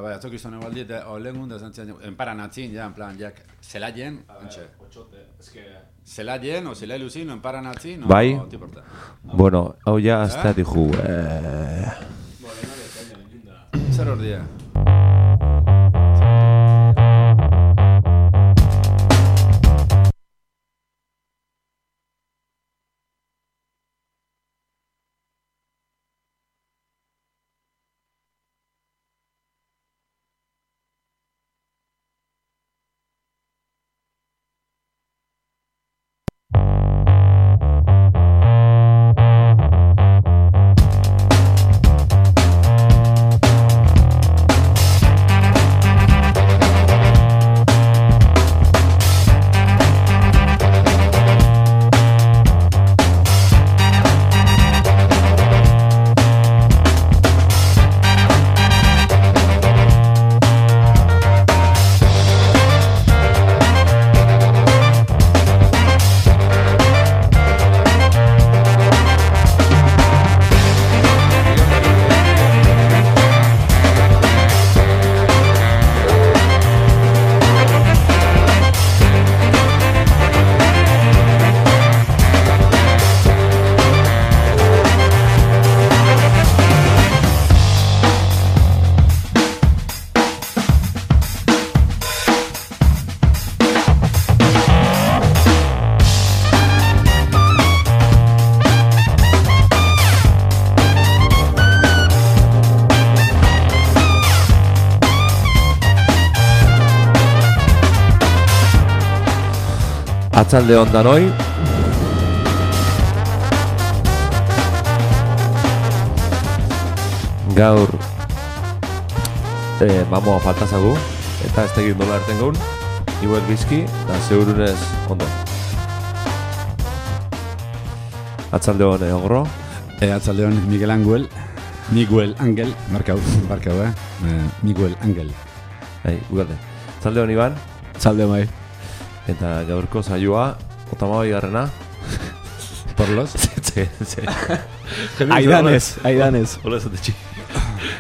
Bai, atzok izan egualdi, eta olegun da zantzen, enparanatzin, ja, en plan, jak, zelaien, ontxe. Zelaien, o zelailusin, o enparanatzin, o... Bai, tiporta. bueno, hau ja, azta dihu. Zer hor dia? Atzalde ondan hoi. Gaur mamoa faltazagu eta ez tegin dola erten gaun. Igual bizki, da zeurunez ondo. Atzalde hon ogro. Atzalde hon Miguel Angel, markau, Miguel Angel. Ugalde. Atzalde hon Iban. Atzalde mai. Eta gaurko saioa, 32 garrena. Porlos? Aidanez. Hola esatetxi.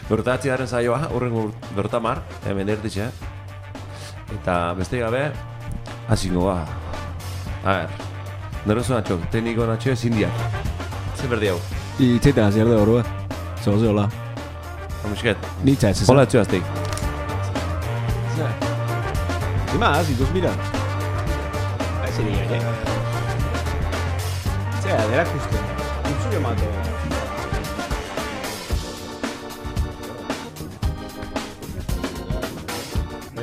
Bertatzi garen saioa, horren bertamar, hemen erditxe. Eta beste gabe, hasiko ba. A ver, nerozo natxo, tekniko natxo ezin diak. Zer berdi hau? Itzeiten hasi erde horua. Zoze hola. Amusket. Nitza ez ezan. Hola etxo azteik. Imaz, ituz mira. Zera, derak uste. Utzure mato.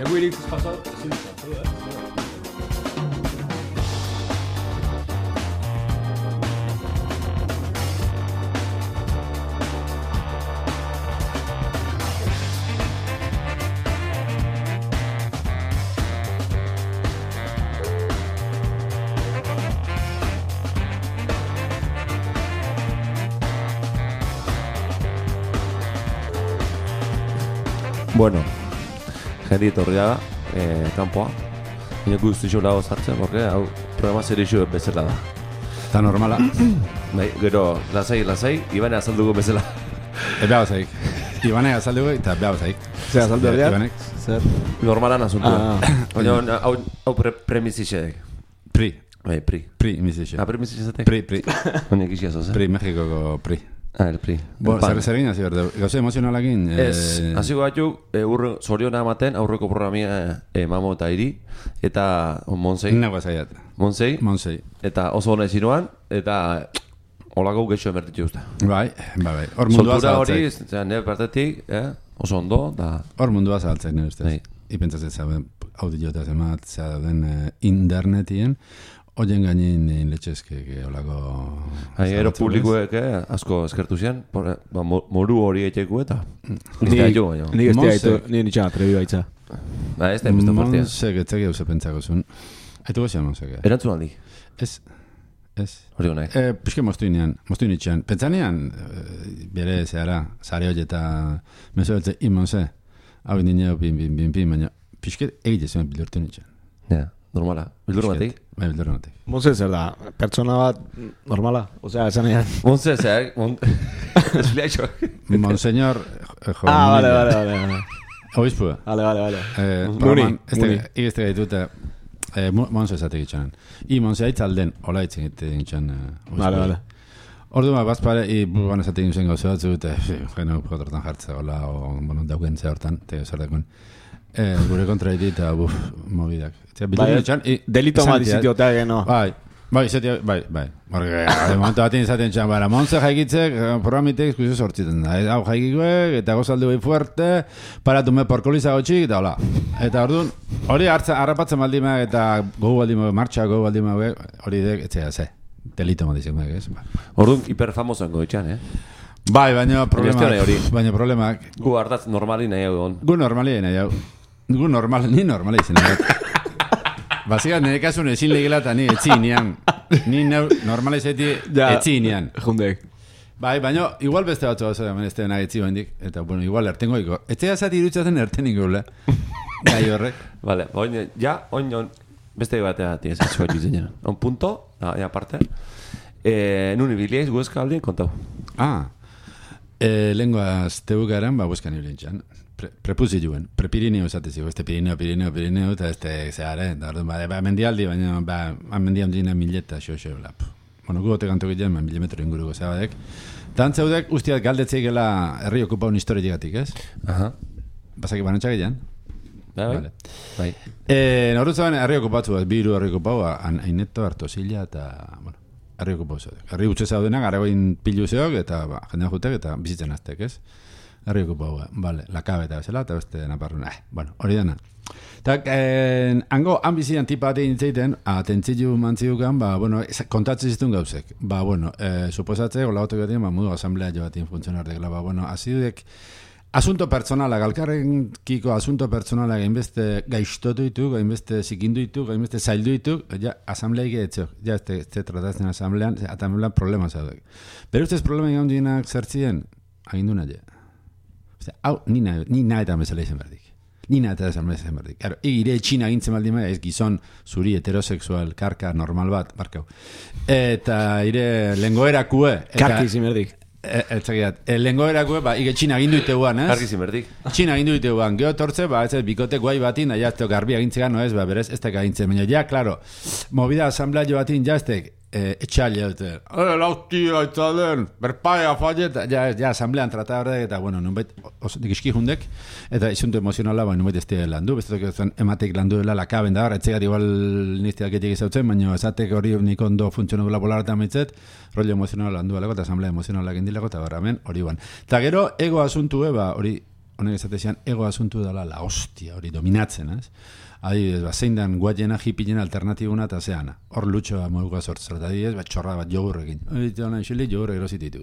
Egu irituz pasat, zintzatu, Bueno, jende etorria kanpoa. Ino guztixo lago zartzen, porque hau programa zerixo bezala da. Eta normala. Bai, gero, lasai, Ibane azalduko bezala. Beha bazaik. Ibane azalduko eta beha bazaik. Zer, azaldu herriak? Ibanek. Zer? Normalan asuntu. Baina, hau premizixek. Pri. Bai, pri. Pri, mizixe. Premizixetek? Pri. Baina egiz jazo, Pri, Mexikoko pri. El pri. Zer egin hasi berde, gauze emozionalakin? Ez, hasiko batzuk, zoriona ematen aurreko programia mamo eta iri, eta Monsei. Nagoa zaiat. Monsei. Eta oso hona ezinoan, eta holako geixo emertitu usta. Bai. Hor mundua zabaltzek. Soltura hori, nire partetik, oso ondo, da... Hor mundua zabaltzek, nire ustez. Ipentzatzen zaben, audiota zemat, zaden internetien, oien gainin letxezke, holako... Ero publikoek asko eskertu zian, moru hori eiteko eta... Nik ez diaitu, nire nitxan atrebi baitza. Ez da emezta partia. Monsek etzeki hauze pentsako zuen. Aitu gozian Monsek. Erantzun aldi? Ez. Hori honek. Piske moztuinean itxean. Pentsanean, bere zehara, zare hori eta meso beltze, Monse, hau indineo pin, baina piske egite zuen bildurtu nitxean. Ja. Normala, bildurmatik? Bai, bildurmatik. Monse zer da, pertsona bat normala? Osea, esan ean. Monse zer, Monseñor... Monseñor... Vale. Oizpua. Vale. Muni. Muni. Igezte gaitute, Monse esate gitxanen. Monse aitzalden, hola itzen gitxan. Vale. Ordu bazpare, buruan esate gitxan gauza batzu, eta geno potortan jartza, hola, dauken ze hortan, zer dekun. Gure kontra iti eta mobidak. Delito bat izitiotea geno. Bai. Momentu batin izaten txan, Monse jaikitzek, programitek eskuzio sortzitzen da. Hau jaikikuek, eta gozaldu bai fuerte, paratu me porkoliza gotxik, eta hola. Eta orduan, hori harrapatzen baldima, eta gogu baldima, martxa gogu baldima, hori dek, etzea, ze. Delito modizien, ez? Orduan, hiperfamosan goitxan, Bai, baina problemak. Gu hartaz normali nahi hau egon. Gu normali nahi hau. Gu normali izan nahi hau. Basikat, nire kasun ezin legela eta ni etzinean. Ni normalizeti etzinean. Jundek. Bai, baina igual beste batzu hau ez da nahi etzi bendik. Eta, bueno, igual ertengo iko. Etzea zati irutzaten ertenik gula. Gai horrek. Vale, oin, beste batea tienes ez bat diseñan. Un punto, aparte. Nun ibiliaiz Huesca aldien kontau. Lenguaz tebukaren, Huescan ibilintxan. Prepuziluen, prepirineo esateziko, este Pirineo, eta este zehare, mendialdi, baina mendian dina mileta, xo, lap. Bueno, gugote kantu giten, milimetro inguruko zabadek. Tantzeudek, ustiat galdetzeikela herri okupaun historietik, ez? Basaki banantxak egin? Bai. Norutzaben herri okupatzu, biru herri okupau, Aineto, Artosilla, eta, bueno, herri okupau zaudek. Herri utxe zaudenak, aragoin pilu zeok, eta jendean jutek, eta bizitzen aztek, ez? Herri okupau, vale, lakabe eta bezala, eta beste naparrun, bueno, hori dena. Eta, hango, bizian tipa batein itzeiten, atentzilu mantziukan, bueno, kontatzen zituen gauzek. Bueno, suposatze, gola gotu gaten, mudu asamblea jo batein funtzionardekela, bueno, azidek, asunto personala, galkarren kiko asunto personala gainbeste gaiztotu ditu, gainbeste zikindu ditu, gainbeste zaildu ditu, ja, asambleik etzok, ja, ez tratatzen asamblean, atambelan problema zaudek. Pero ustez problema egon dienak zertzien, agindu nahi. Hau, ni nahi eta bezala izan berdik. Ni nahi eta bezala izan berdik. Ire txina gintzen baldin maia, ez gizon zuri heterosexual, karka, normal bat, barkau. Eta ire lengoerakue. Karki izin berdik. Lengoerakue, ige txina gindu iteguan, ez? Karki izin berdik. Txina gindu iteguan. Geo tortze, ez bikote guai batin, ja, ez teo garbia gintzegan, no ez, berez, ez teka gintzen. Baina, ja, klaro, movida asamblea jo batin, ja, ez tek, etxalia dute. Lautia, itzalen, berpaia, fallet, ja, asamblean tratador eta, bueno, nunbait, dikizki jundek, eta izuntu emozionala, nunbait ez tira landu, bestetok ez ematek landu dela lakaben da, etxegat igual nizteak etik izautzen, baina esatek hori nik ondo funtzionabula polarata mitzet, rollo emozionala landu alako, eta asamblea emozionala gendilako, eta barramen, hori ban. Eta gero, ego asuntu hori, honek esatezian, ego asuntu dela la hostia, hori dominatzen, ez? Adibidez, zein dan guatena, hipinen alternatibuna eta zeana. Hor lutxoa moguka sortzera. Adibidez, txorra bat jogurrekin. Jogurre erosit ditu.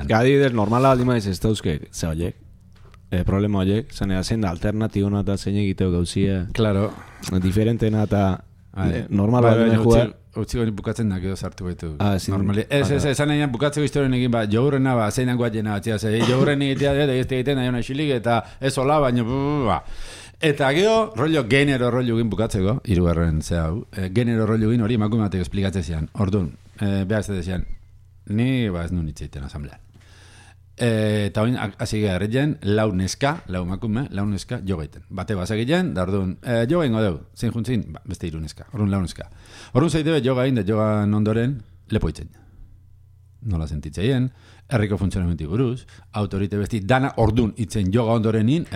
Adibidez, normala aldima ez dauzke, ze horiek. Problema horiek. Zanea, zein da alternatibuna eta zein egiteo gauzia. Claro. Diferentena eta normala aldima jugar. Utziko ni bukatzen da, edo sartu baitu. Normali. Zan egin bukatzeko historien egin, jogurrena, zein dan guatena, jogurren egitea, egiten nahi hona xilik, eta ez hola, baina, eta gero, genero rollo egin bukatzeko, hirugarren ze hau, genero rollo egin hori emakumeatek esplikatzen zian. Orduan, behar ez zian, ni ez nun itzeiten asamblean. Eta hori, hasi gara erretzen, lau neska jo gaiten. Bate bazakiten, da orduan, jo gaingo deu, zein juntzin, beste hiru neska, orduan lau neska. Orduan zaitebe, jo gain, da jogan ondoren, lepoitzen. Nola sentitzeien, herriko funtzionamentu buruz, autorite besti, dana ordun itzen joga ondorenin,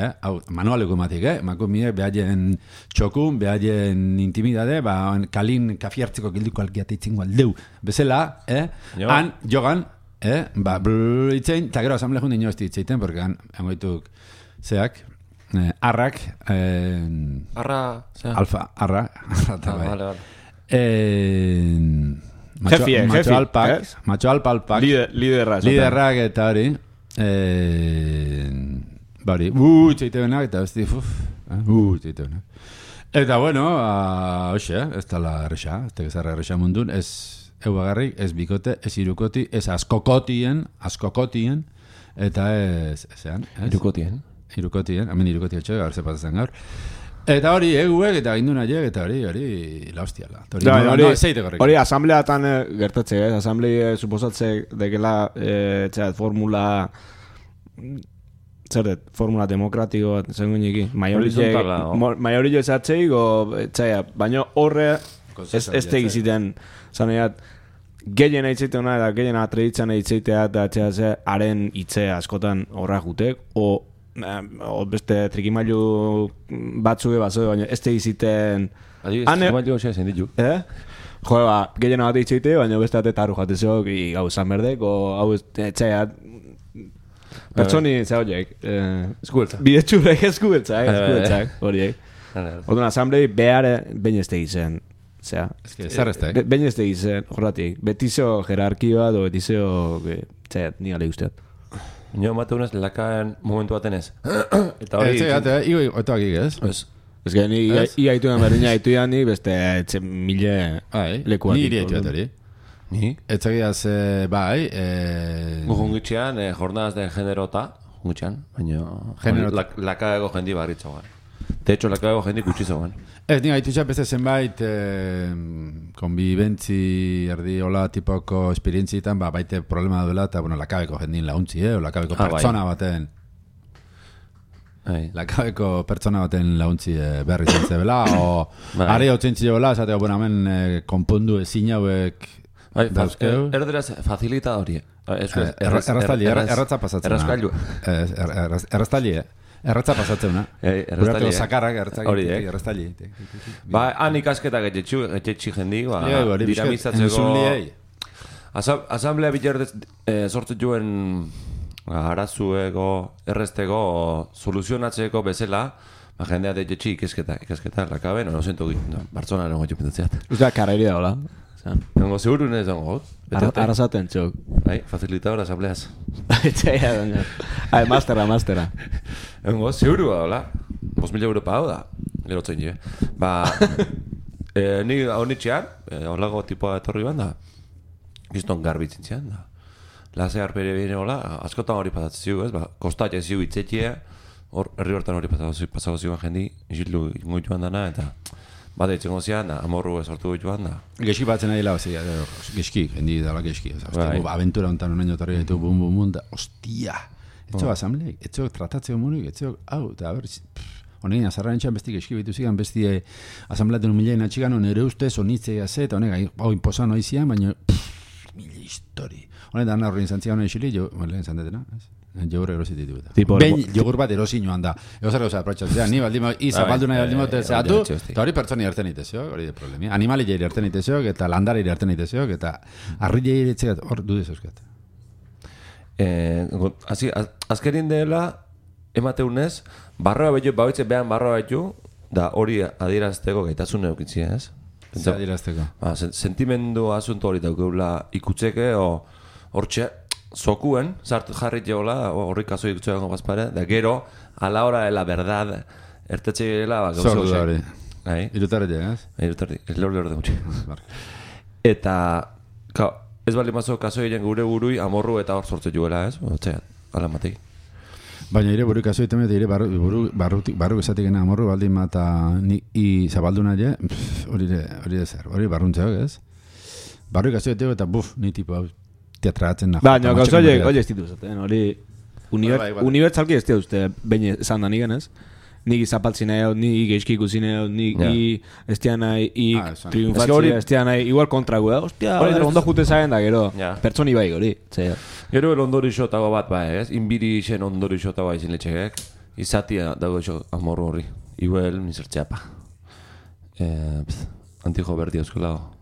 manualeko ematik, emakumie, behaien txokun, behaien intimidade, kalin kafiartzeko gilduko algiate itzingo aldeu. Bezala, han jogan, itzen, eta gero asamble jundi ino ez ditzeiten, porque han goituk zeak, arrak, alfa, arra, vale. Macho alpak liderrak eta hori bari txeitebenak eta besti txeitebenak eta bueno hoxe, ez tala erresa ez tegezarra erresa mundun ez euagarrik, ez bikote, ez irukoti ez askokotien eta ez irukotien hemen irukotien txoga gaur zepatazen gaur. Eta hori eguek eta ginduna jeg eta hori la hostiala. Hori asambleatan gertatze, asamblea suposatze dekela formula zer dut, formula demokratiko bat, zengun iki. Horizontala, o? Maiorillo esatzeik, txaia, baina horre, ez tegiziten, zaneat, gehien eitzeiteuna eta gehien atreditzen eitzeitea eta txea haren hitzea askotan horra jutek, o beste trikimailu batzuge bazo, baina ez tegiziten... Adibidez, trikimailu xea zen ditu. Jo, gehien bat eitzeite, baina beste taru jatezok, gau zan berdek, o hau txea... Pertsoni, zeh horiek, bidetxurek eskubetzak, horiek. Orduan, asamblei behar behin ez tegizen. Behin ez tegizen, horretik. Betizo jerarkioa, do betizo, ni gale guztiat. Nio mate unez, lakaen momentu baten ez. Eta hori... Igo, otoak igez? Ez gen, ia ituan berdina ituan ni, beste mille lekuak. Ni iri ituat hori. Ni? Etzagiaz, bai... Jungitxean, jornadas de generota, jungitxean, baina... Lakaego jendi barritzoan. De hecho, lakaego jendi kutsizoan. Ez, ni gaitutxa beste zenbait konbibentzi erdi hola tipoko esperientzietan, baite problema duela, eta, bueno, lakabeko jendin launtzi, o lakabeko pertsona baten... Lakabeko pertsona baten launtzi berri zentzebela, o ari hau zentzibela, esateko, bueno, hemen konpondu ezin hauek... Erderaz facilita hori. Erraztali, erratza pasatzen. Erraztali, erratza pasatzen. Erraztali. Sakarrak erraztali. Ba, han ikasketak etxetxi jendi, dinamizatzeko... Asamblea biterdez sortu juen arazueko, errezteko, soluzionatzeko bezala, jendea etxetxi ikasketak lakaben, no sento Bartzelonaren goitxo pintatzeat. Usta, karreri da, hola? Nengo seguru nez dongo got. Arrasaten txok. Facilitador asambleaz. Txaia, doña. Mastera. Nengo seguru da, hola. 5.000 euro pagau da. Gero tzein je. Ba, ni honitxean, holago tipoa etorri banda, gizton garbitzen zian da. Lase arpere bine hola, askotan hori pasatzen ziu, ez? Ba, kostatxe ziu itzetxea, herri hortan hori pasago ziuan jendi, isildu ingo joan dana, eta... Bada itzengo zian, amorru esortu joan da. Geski batzen nahi lau, geski, jendi dala geski. Aventura honetan unaino tarri gaitu bum, da, ostia. Etxo asambleik, etxo tratatzeko monik, etxo, hau, eta ber, honein, azarraren txan besti geski behitu zigan, besti asambleaten milain atxigan, nire ustez, onitzea ze, eta honek, hau inposan hori zian, baina, mila histori. Honetan, horrein zantzian honen xili, jo, lehen zantetena, ez? Jogur erosit ditu eta. Ben jogur bat erosi joan da. Egozer gauza aprotxatzea, ni baldimo, zapaldu nahi baldimo zehatu, eta hori pertsoni erten itezio, hori de problemi. Animali jairi erten itezio, eta landari erten itezio, eta arri jairi etxegat, hor dudez euskat. Azkerin dela, emateunez, barroa behitu, bauitze behan barroa behitu, da hori adierazteko gaitasun eukitzia, ez? Zer adierazteko? Sentimendu asunto hori daukeula ikutzeke, hortxe, zokuen, jarri jeola, horri kaso ikutzea bazpare, da gero, a la hora de la verdad, ertetxe gela, gauza gozak. Zordu hori. Irutarri, ez? Irutarri, ez lehor de gutxi. Eta, ez bali mazo kaso egin gure burui, amorru eta hor sortze juela, ez? Otzean, ala matei. Baina ere buru kaso egiten, ere barru esatik gena amorru, baldin mata zabaldu nahi, hori de zer, hori barruntzeak, ez? Barru kaso egiten, eta ni tipo hau. Teatratzen da. Baina, gauza hori ez ditu zaten, hori unibertsalki ez uste baina esan da nigen ez. Nik zapaltzin nahi, nik geizki ikusi nahi, nik estian nahi, triunfatzia estian nahi, igual kontragu da. Ostia, ondo jute zaren da, gero, pertsoni bai hori. Gero el ondori xotago bat bai, ez? Inbiri isen ondori xotago izin letxegek. Izatia dago iso amorru horri. Igual, misertxeapa. Antijo berdi euskolago.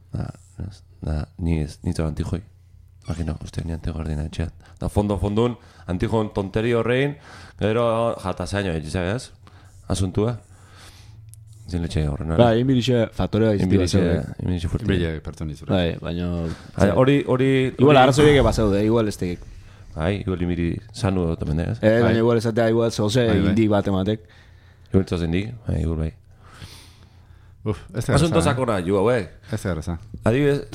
Ni zara antijoi. Imagino, uste, ni antijo erdina etxeat. Da fondun, antijon tonteri horrein, gero jatazaino egizak ez? Asuntua. Zin letxe horren. Ba, inbirixe faktorea izti. Inbirixe furti. Inbirixe pertsonizura. Bai, baina... Hori... Igual arrazoiek basaude, igual ez tegik. Bai, igual inbiri sanu dut tamende ez? Baina igual esatea, igual zoze indik bat ematek. Igual zoze indik, igual bai. Asunto sakona, ju hauek. Ez da erraza. Adibidez,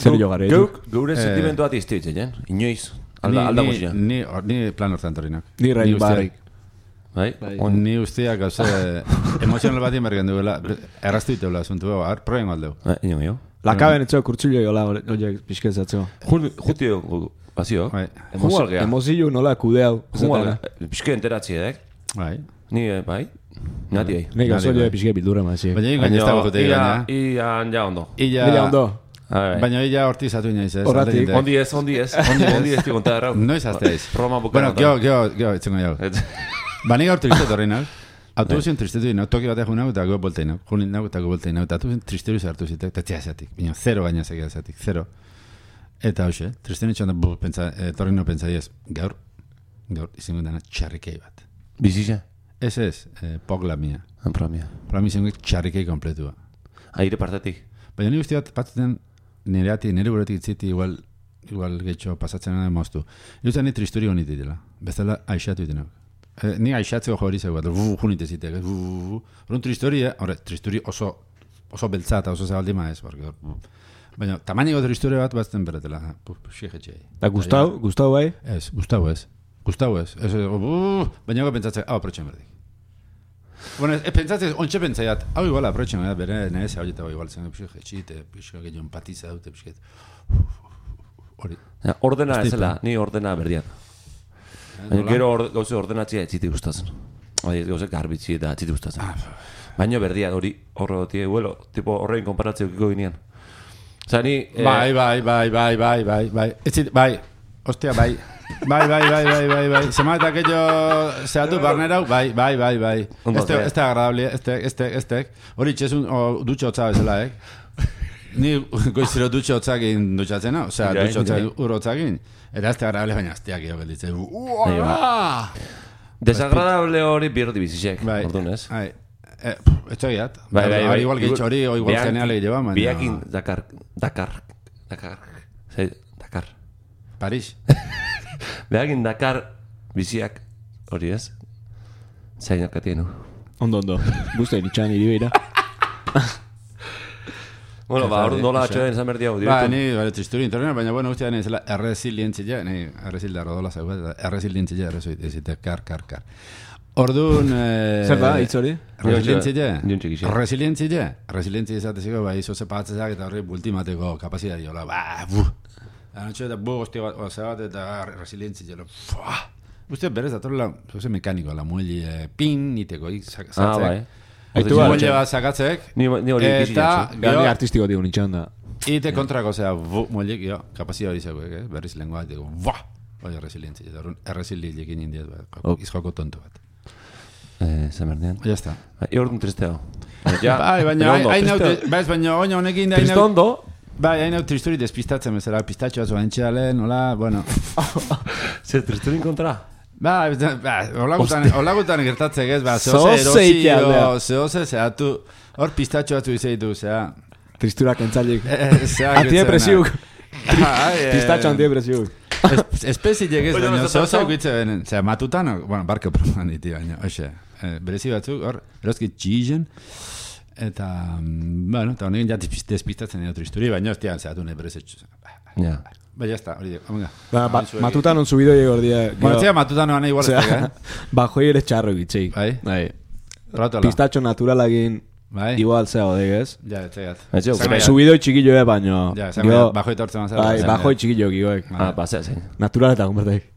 geure sentimentu bat iztitzen, inoiz. Alda guztian. Ni plan hortan torinak. Ni rain barrik. Bai? Ni usteak gauze emozional bat inbergen duela, erraztu iteula asuntu, proien galdeu. Ino. Lakaben etxo kurtsulio jola, oiek pixkezatzeko. Jutio, bazio. Emozio nola kudeau. Pixke enteratzi edek. Bai. Ni, bai. Nati bai. Nik oso jo pixke bildura mazi. Baina gaina ez dago jote gaina. Ian ja ondo. Ila ondo. Baina illa hortizatu inaiz ez. Horratik. Ondi ez konta errau. Noiz azteiz. Roma bukara. Bueno, gio, etxengo jau. Bani gaur tristetu horreinak. Autobusen tristetu inau, toki batek junau eta go bolteinau. Junin nau eta go bolteinau. Eta autobusen tristetu zartu zitek, eta tia esatik. Bino, 0 gaina segia esatik, 0. Eta hoxe, tristenu txanda, torri no pentsa diez, gaur izango dana txarrikei bat. Bizitza? Ez, pogla mia. Promia. Promia izango txarrikei kompletua. Aire partetik. Baina ni guzti bat, batzuten nire buretik itziti igual getxo pasatzen gana moztu. Irutzen ni tristuri honit ditela. Bezala aixatu itenak. Ni aixatzeko jo hori zego bat, junite zitek. Horren tristori, tristuri oso beltza eta oso zabaldima ez. Baina tamainiko tristori bat batzten beretela. Xiegetxei. Da Gustau bai? Ez, Gustau ez. Baina pentsatzen, hau aprotxen berdik. Bueno, pentsatzen, ontsa pentsaiat, hau igual aprotxen berdik, bere nahez hau jeta igual zen, xiegetxite, gehiago empatiza dute, hori. Ordena ezela, ni ordena berdian. Gero gauze ordenatzea etziti gustatzen. Gauze garbitzi eta etziti gustatzen. Baina berdian hori, horregotie, tipo horrein konparatzea ukiko ginean. Osa, ni... Bai. Ostia, bai. Bai. Semana eta jo zehatu barnerau, bai. Este agradable, este. Hori txezun, dutxo hotza bezala, Ni goizero dutxo hotzagin dutxatzena, osea, dutxo hotzagin urrotzagin. Eta este agradable baina azteak jo gelditzen. Desagradable hori birdi bizizek, orduan ez? Etxo giat. Bai. Igual gehitxo hori, o igual geneale lleva, man. Biakin Dakar. Paris. Biakin Dakar biziak hori ez? Zainak atienu. Ondo. Gusta iritxan iribeira. Bueno, hor nola atxoen izan berdi hau. Ni tristuri internet, baina bueno, guztia nire zela erresilientzia, erresilda rodola zaugat, erresilientzia, erresilda, kar. Orduan... Zer da, hitz hori? Resilientzia izateziko, bai, izo zepatzezak eta horri bultimateko kapazia diola, Anotxo eta hostia bat eta resilientzia, Uste berez datorela, mekaniko, la muelli pin, niteko, zatzek. Muelli bat zakatzek. Ni hori ikizitxo. Ni artistiko digun itxan da. Ite kontrako, muelli, kapazia hori zego, berriz lengua, hori resilientzia, erresiliekin indiet, izjoko tonto bat. Zemerdean. Ya está. Iordun tristeo. Baina oina honekin da... Tristondo? Bai, hain hau tristuri despistatzen bezala, pistatxo batzu antxeale, nola, bueno... Zer, tristurin kontra? Hola gutan gertatzek ez, zehose zehatu, hor pistatxo batzu izeitu, zea... Tristurak entzalik. Antidepresiuk. Pistatxo antidepresiuk. Espezi llegez, baina zehose guitze benen, zea matutan, bueno, barko proman diti baina, oxe, berezi batzuk, hor, eroski txigen, eta, bueno, eta honekin ja despistatzen edo tristuri, baina hostian zehatu nahi berezetxu. Ba, jazta, hori dek, omenga. Matutan on subido llego ordia. Bueno, zea matutan oan igual ez Bajoi ere txarro gitzei. Bai. Pistatxo naturalagin igual zea odegez. Ja, etxegat. Subido txikillo baino. Ja, bajoi tortzen mazera. Bai, bajoi txikillo gigoek. Zea zein. Natural eta konbertaik.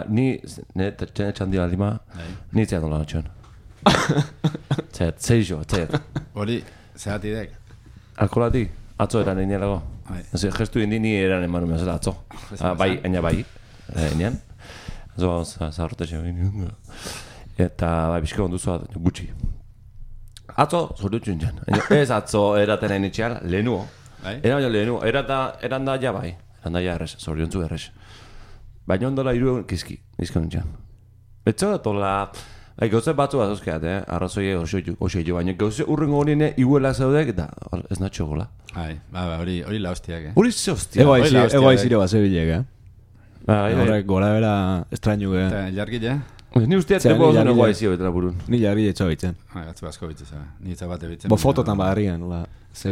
Ni, txan dira lima, ni zea dola natxon. Zeizo. Hori, zehati dek. Alkolati, atzo eran einealago. Gestu ni eran emanu mezela atzo. Bai, aina bai. Einean. Zo, zaharrote xe. Eta, bai, bizko onduzu gutxi. Atzo, zordutxun jan. Ez atzo eraten hain etxean, lehenuo. Eran lehenuo. Eran da ja bai. Eran da ja errez, zoriontzu errez. Baina ondola iru kizki, izkan jan. Betzo da tola... Gauze batzu bat zozkeat, arrazoi oso jo, baina gauze urrengo honine iguela zaudek, eta ez natxo gola. Hori la hostiak, Hori ze hostia. Ego aizire bat zebilek, Horrek gora bera estrañu, Eta jargile? Ni usteat tempo oso nego aizio betela burun. Ni jargile txobitzen. Gatzu asko bitzen, ni zabate bitzen. Bo fototan badarrian, nola.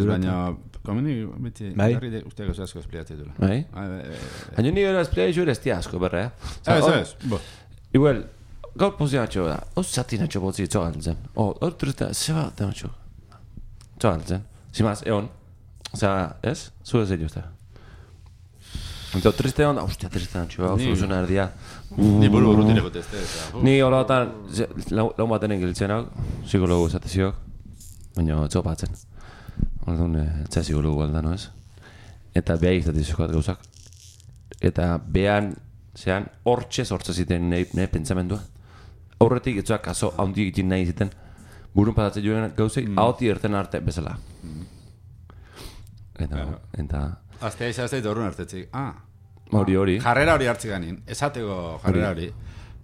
Baina, komeni, beti, jargile usteak oso asko espliatzea dula. Bai? Baina ni gara espliatzu ere estia asko, berre, Ez. Igual, gaur pozio natxo da, zati natxo botzi txogaltzen. Hor turista, zeba da natxo. Txogaltzen. Zimaz, egon. Osea, ez? Zure zello uste. Eta triste onda, ostia, triste antxoa, soluzioa erdia. Ni buru tireko teste. Ni hola batan, lau baten engiltzen hau, psikologo esateziok, baina txopatzen. Orduan, etxea psikologo alda, no ez? Eta beha izatizioak gauzak. Eta behan, zean, hortxe ziten nahi pentsamendua. Aurretik etxoak kaso handi egiten nahi ziten. Burun patatzen joan gauzei, haoti erten arte bezala. Eta... Aztea izazteit horren hartetzik. Hori. Jarrera hori hartzik ganin. Esateko jarrera hori.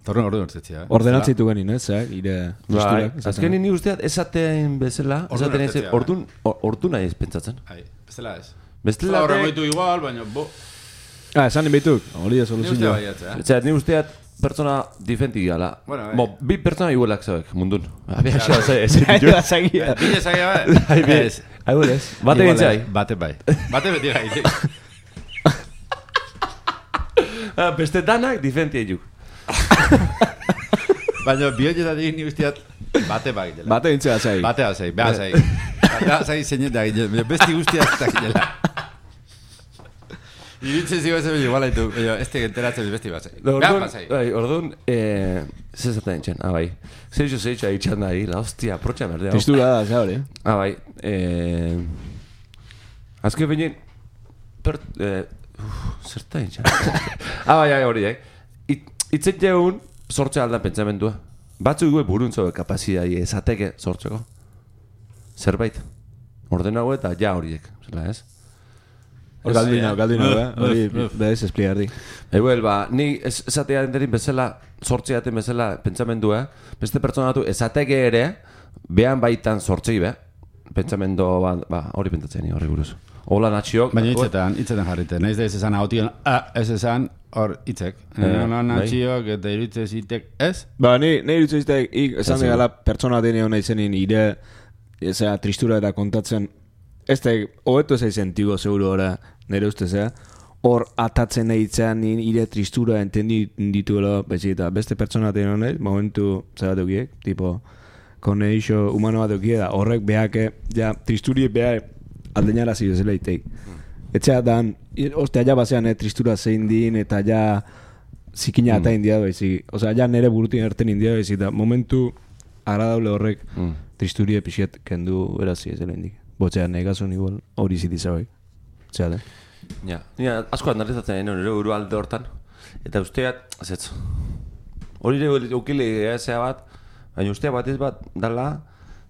Torren hori hartetzia. Ordenatzitu ganin, ez? Ire tristurak. Azkenin ni usteat esaten bezala, esaten ez, ordu nahi ez pentsatzen. Bestela ez. Bestela horren goitu igual, baina bo... Esan inbituk, hori da soluzioa. Ni usteat pertsona diferenti gala. Bi pertsona igualak zauek, mundun. Abia xea, Bile zagia. Aibolez. Bate gintzai. Bate bai. Bate beti gai. Beste danak diferenti egin. Baina bioietatik ni guztiat bate bai. Bate gintzai azai. Bate azai, beha azai. Bate azai zeinet da gile. Besti guztiak da gilela. Iritzen zigo ez igual haitu, ez enteratzen besti bat zai. Orduan, zezaten entxen, bai. Zerixo haitxan da, la hostia, protxa merdea. Tristura da, za hori. Bai. Azke behin, zerta entxan. Bai, hori, itzen jeun, sortze aldan pentsamendua. Batzu gue buruntzo kapazidai esateke sortzeko. Zerbait. Ordenago eta ja horiek, zela ez? Galdina, hori behaz espligardi. Eguel, ni esatea enterin bezala, sortzeaten bezala pentsamendua, beste pertsonatu esateke ere, behan baitan sortzei be, pentsamendu, hori pentsatzen hori buruz. Ola natxiok... Baina hitzetan jarrite, nahiz da ez esan haution, ez esan hor hitzek. Ola natxiok eta iruditzen zitek, ez? Ni iruditzen zitek, esan megala pertsona denean izenin ire, tristura eta kontatzen, ez da, hobeto ez aizen tigo seguro ora, nire ustez, hor atatzen nahi itzean ire tristura entendi dituela, eta beste pertsona tenon nahi, momentu zer bat eukiek, tipo, koneixo humano bat eukiek, horrek behake, ja, tristuri behak aldeñara zidezela iteik. Etxea dan, ostia, ja basean, tristura zein din, eta ja zikina eta india baizik. Osea, ja nire burutin erten india baizik, eta momentu agradable horrek tristuri epixiet kendu erazi ezela indik. Botxean, egazun igual, hori zitizabek. Txea, Ja, nire asko analizatzen nire buru alde hortan. Eta usteat, zetz, hori eukile ezea bat, baina usteat bat ez bat dala,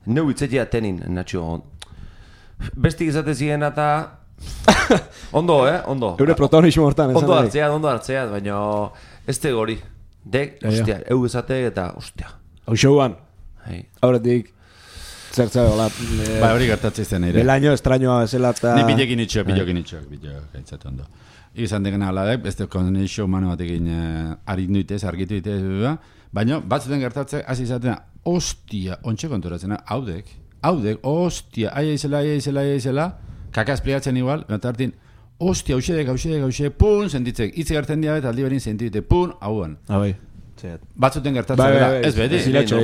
neu itzetia tenin, natxo. Bestik izate ziren eta... Ondo, ondo. Eure protagonismo hortan, ondo hartzeat, baina ez tego hori. Dek, ustea, izate eta, ustea. Hau showan, aurretik, zertzea, hola... hori gertatzen izan nire. Belaino estrañoa bezala eta... Ni bilekin itxoak, gaitzatu ondo. Izan degena aladek, beste konexio humano batekin arindu itez, argitu itez, baina batzuten gertatzen, hasi izaten, ostia, ontxe konturatzen, haudek, ostia, aia izela, kakaz pligatzen igual, eta hartin, ostia, hauxedek, pun, sentitzek, hitz gertzen dia eta aldi berin sentite, pun, hauan. Bai. Batzuten gertatzen, ez beti. Zilatxo.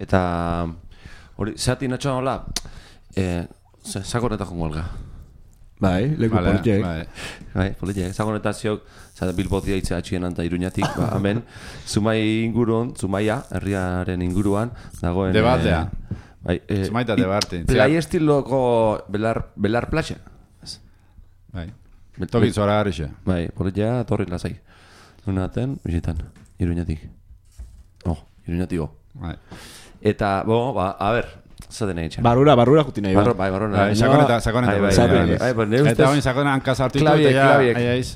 Eta hori, zehati natxoan hola, sakoneta jongo alga. Bai, leku politiek. Bai, politiek. Sakoneta ziok, Bilbotia itxe atxien anta Iruñatik, hemen, Zumaia, herriaren inguruan, dagoen... Debatea. Zumaita debate. Plai estiloko belar plaxe. Bai. Tokin zora garrixe. Bai, politia torri lasai. Nunaten, bizitan, Iruñatik. Iruñatiko. Bai. Eta, a ber, zaten egin txan. Barrura juti nahi. Barrura. Sakoneta. Eta hoin sakona hankaz hartu ditu, eta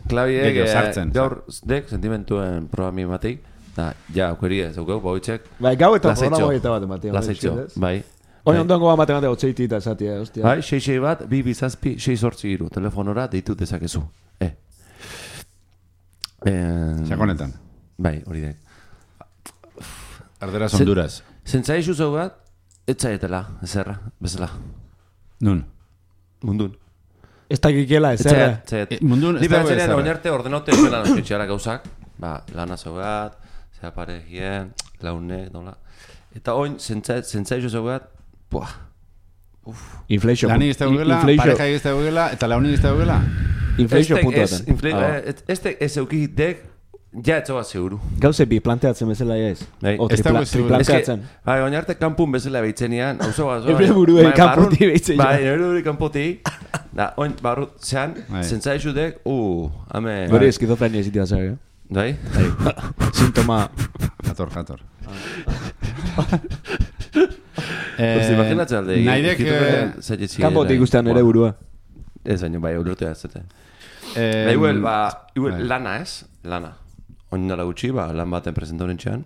klabiek, gaur, dek, sentimentuen programi matei, da, ja, aukeri ez, aukeu, boitzek. Bai, gau eta programa hori eta bat ematea. Lasaitxo, bai. Oin ondoan goba matematea otzeiti eta esatia, hostia. Bai, 6 bat, 2 bizazpi, 6 hortzi iru, telefonora deitu dezakezu. Sakonetan. Bai, hori dek. Arderaz Honduras. Zentzai zuzau bat, etzaetela, ezerra, bezala. Nun? Mundun. Ez dakikela, ezerra. Mundun, ez dago ezerra. Oinarte ordenauta ezela nazioetxeara gauzak, lana zau bat, zera parejien, launek, nola. Eta oin, zentzai zuzau bat, Inflation. Lanik ez da gugela, parejai ez da gugela, eta launik ez da gugela. Inflazio puntuaten. Este ez eukitek, ja etzoa zeuru. Gauze bi planteatzen bezala ez. O triplanteatzen. Bai, oin arte kanpun bezala behitzenian, hauzo bat. Ebre buruei kanputi behitzen. Bai, ebre buruei kanputi. Da, oin barru, zean, zentzaizutek, hame... Gori eskizofrenia ezitia zabe. Bai? Sintoma... Jator. Imaginatzen alde. Naidek... Kanpotik ikustean ere burua. Ez baino, bai, urte ez zuten. Igual, lana ez? Lana. Oin nala gutxi, lan baten presentauren txean,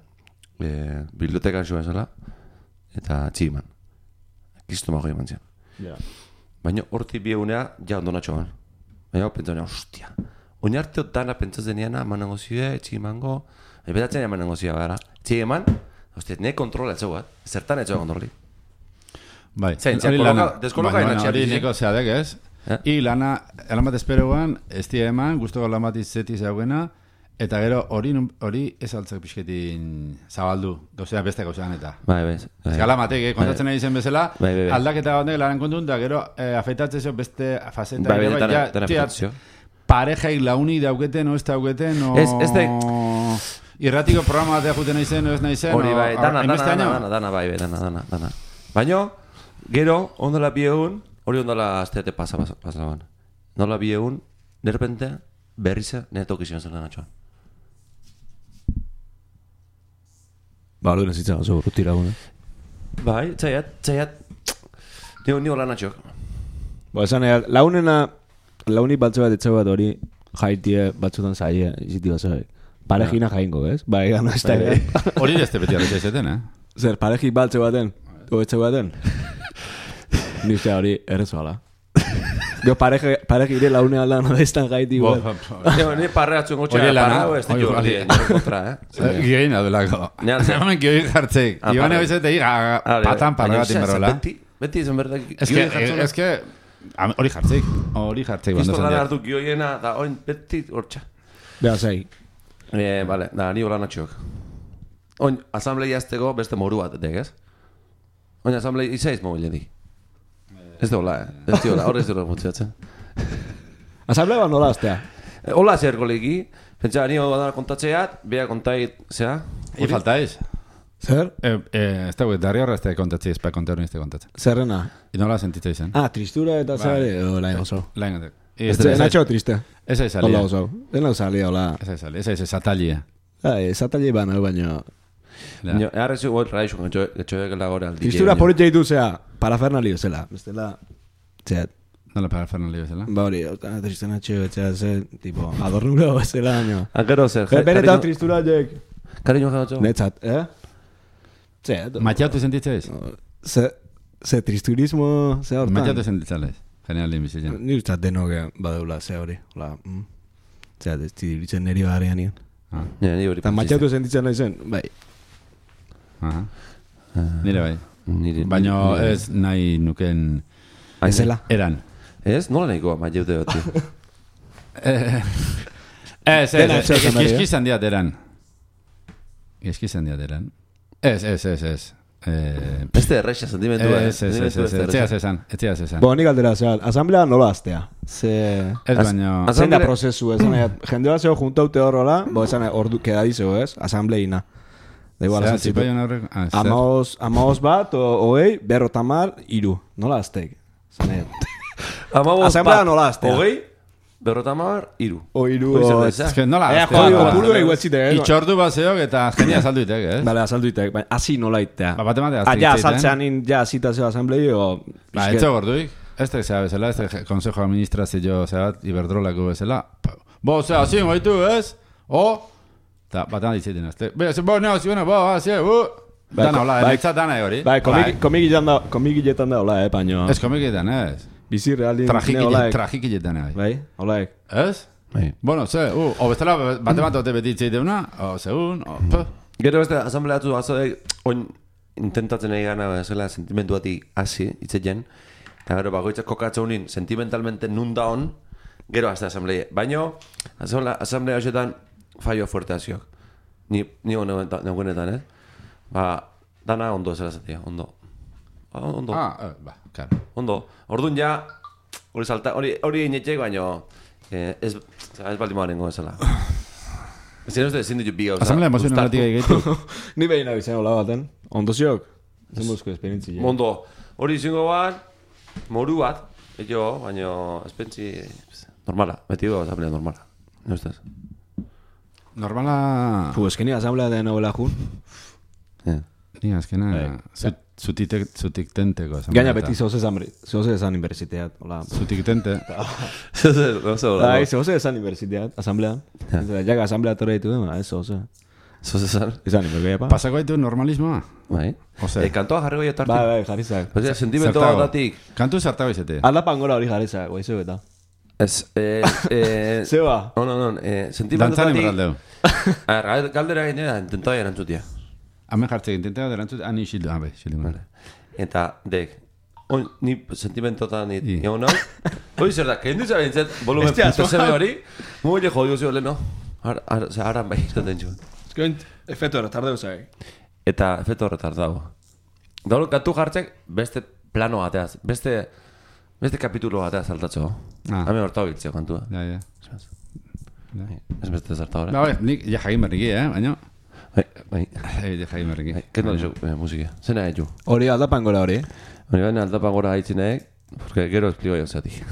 bibliotekan zuen zela, eta tximan. Kistu mago eman zian. Baina horti biegunea, ja ondonatxoan. Baina pentsaunea, ostia. Oin arte dana pentsatzen niana, eman negozioa, tximango, betatzen eman negozioa gara. Txi eman, ostia, ne kontrola etxau bat, zertan etxau kontroli. Bai, deskoloka inatxea. Hori neko zeadek ez. I lan bat esperoan, ez die eman, guztoko lan bat izeti zeugena, eta gero hori ez altzak pixketin zabaldu, gauzea beste gauzean eta. Bai, bai. Eskala matek, kontatzen nahi zen bezala, aldaketa gondek laran kontun, eta gero afeitatzen zeo beste faceta. Bai, bai, parejaik launi dauketen, o ez dauketen, o... Irratiko programa batea juten nahi zen, o ez nahi zen, hori bai, dana, bai, dana. Baina, gero, ondola bi egun, hori ondola asteate pasaban. Nola bi egun, derrepente, berriza, nire tokizion zen lanatxoan. Ba, hori nezitzen oso urrutira gune. Bai, txaiat, nio lanatxok. Ba, esan, launik batzu bat etxe bat hori jaitie batzutan zaie, iziti bat zaie. Parejina jaingo, ez? Ba, egan ez da. Hori dezte beti arretxe izaten, Zer, parejik baltze baten, o etxe baten. Ni ustea hori errezoala. Gero pareja ire laune alda no destan gaiti igual. Ni parreatzen gotxea parrao ez ditu hori kontra, Gioin adelako. Hemen gioin jartzeik. Iban ebizete patan parregatin berola. Beti izan berdak gioin jartzen. Ez que hori jartzeik. Kristo lan hartu gioiena da oin beti hortxa. Beha zei. Vale, da, ni hola natxok. Oin, asamblea azteko beste moru bat, ez? Oin, asamblea izaiz mobile di. Ez da hola, Ez da hola, horrez dira funtzionatzen. Asamblea bat nola aztea? Hola zer golegi. Pentsa, ni hola kontatzeat, beha kontait, zera? Falta ez? Zer? Ez da guet, darri horra ez da kontatzi, ez pa kontatzen ez da kontatzen. Zerrena? Nola sentitza izan. Tristura eta zare, lain oso. Lain oso. Natxo triste. Ez aiz salia. Hola oso. Ez nahi salia, hola. Ez aiz satalia. Satalia baina, baina... Arrezu goi raixo, getxoek lagore aldi. Tristura poritza ditu zea, parafernalio zela. Bestela, zeat. Nola parafernalio zela? Ba hori, triste natxo, etxea zen, tipo, adornuro zela, baina. Ankero zer. Benetan tristura jek. Kariño jautxo? Netzat, Zeat. Matxatu sentitza ez? Ze tristurismo, ze hortan. Matxatu sentitza ez? Genial din bizitzen. Ni ustat denok badeula ze hori. Zeat, ez ditzen neri barean nien. Eta matxatu sentitzen nahi zen, bai. Nire bai. Baina ez nahi nuken... Ezela? Eran. Ez? Nola nahikoa matxatu bati? Gizkizan diat eran. Gizkizan diat eran. Ez. Beste erreixa sentimentua. Etxeaz esan. Bo, nik aldera, asamblea nola aztea. Ez baino... Zein da prozesu, jende bat zeo juntaute horrola, bo esan ordu kedadizeo, ez? Asambleina. Da igual, amaoz bat, oei, berrotamar, iru. Nola azteik? Asamblea nola aztea. Ogei, berrotamar, iru. O iru, Ez que nola aztea. Itxordu bat zeok eta genia azalduitek, ez? Bale, azalduitek, baina hasi nola itea. Bate mate azteik. Ja, azaltzean ja azita zeo asamblei, o... Etxo gorduik. Ez da zea bezala, ez da Consejo Administrazio zeat, Iberdrolako bezala. Bo, zea, zin, goitu, ez? O... Eta batean ditzeiten azte. Bo, neo, ziona, bo, zie, Dana hola, enetzat dana hori. Bai, komikiletan da hola, baino... Ez komikiletan, ez. Bizi realin... Trajikiletan, bai. Holaek. Ez? Bueno, ze, o bestela bate ote beti itzeiteuna, o segun, o... Gero beste, asambleatu azoek, oin intentatzen egin gana, zela, sentimentu bati hasi, itzetzen, eta gero bagoitzak kokatzeunin, sentimentalmente nun daun, gero azte asamblea. Baino, asamblea hoxetan, fallo fuerte haziok. Ni neugunetan, Ba, dana ondo zela zatia, ondo. Claro. Ondo. Orduan ja, hori inetxek, baino, ez baldin marengo ezala. Ezin ditu bi gauza. Asamblea emozionalatik egeitu. Ni behin abizena hola baten. Ondoziok? Zenbuzko esperientzi. Mondo, hori izango bat, moru bat, baina espentzi normala, beti dugu asamblea normala. No estaz? Normala... Eskeni asamblea den hobela jun. Ni azkena... Zutik tenteko. Gaina beti zoze esan universiteat. Zutik tente. Zoze esan universiteat, asamblean. Jaga asamblea torre ditu den, ez zoze. Zoze esan? Esan, ibergeia pa. Pasako ditu normalismoa? Bai. Kantoa jarri goi atartik. Bai, jarrizak. Sentimento datik. Kantu zertago izate. Aldapan gora hori jarrizak, guai zeu eta. Zeba? No. Sentimento Dantzan datik. inberaldeu. Galdera gainera, intentoa erantzutia. Hemen jartzek, intentea derantzut, ani xildu, xildu. Eta, dek, ni sentimentotan egon hau, hori zer da, kendu zabintzet, volumen putaseme hori, muile jodio zio leheno, haran bai izaten txuen. Ezkoint, efeto retardeu zai. Eta efeto retardau. Dauro, kantu jartzek, beste plano bateaz, beste kapitulo bateaz saltatzeko. Hemen hortau biltzeo kantua. Ja. Ez beste zarta hori. Nik ja jagin berriki, baina... Bai. Jai merriki. Kendu alizu, musika. Zena edu. Hori aldapan gora hori? Hori baina aldapan gora haitzinek, porque gero esplio jo zati.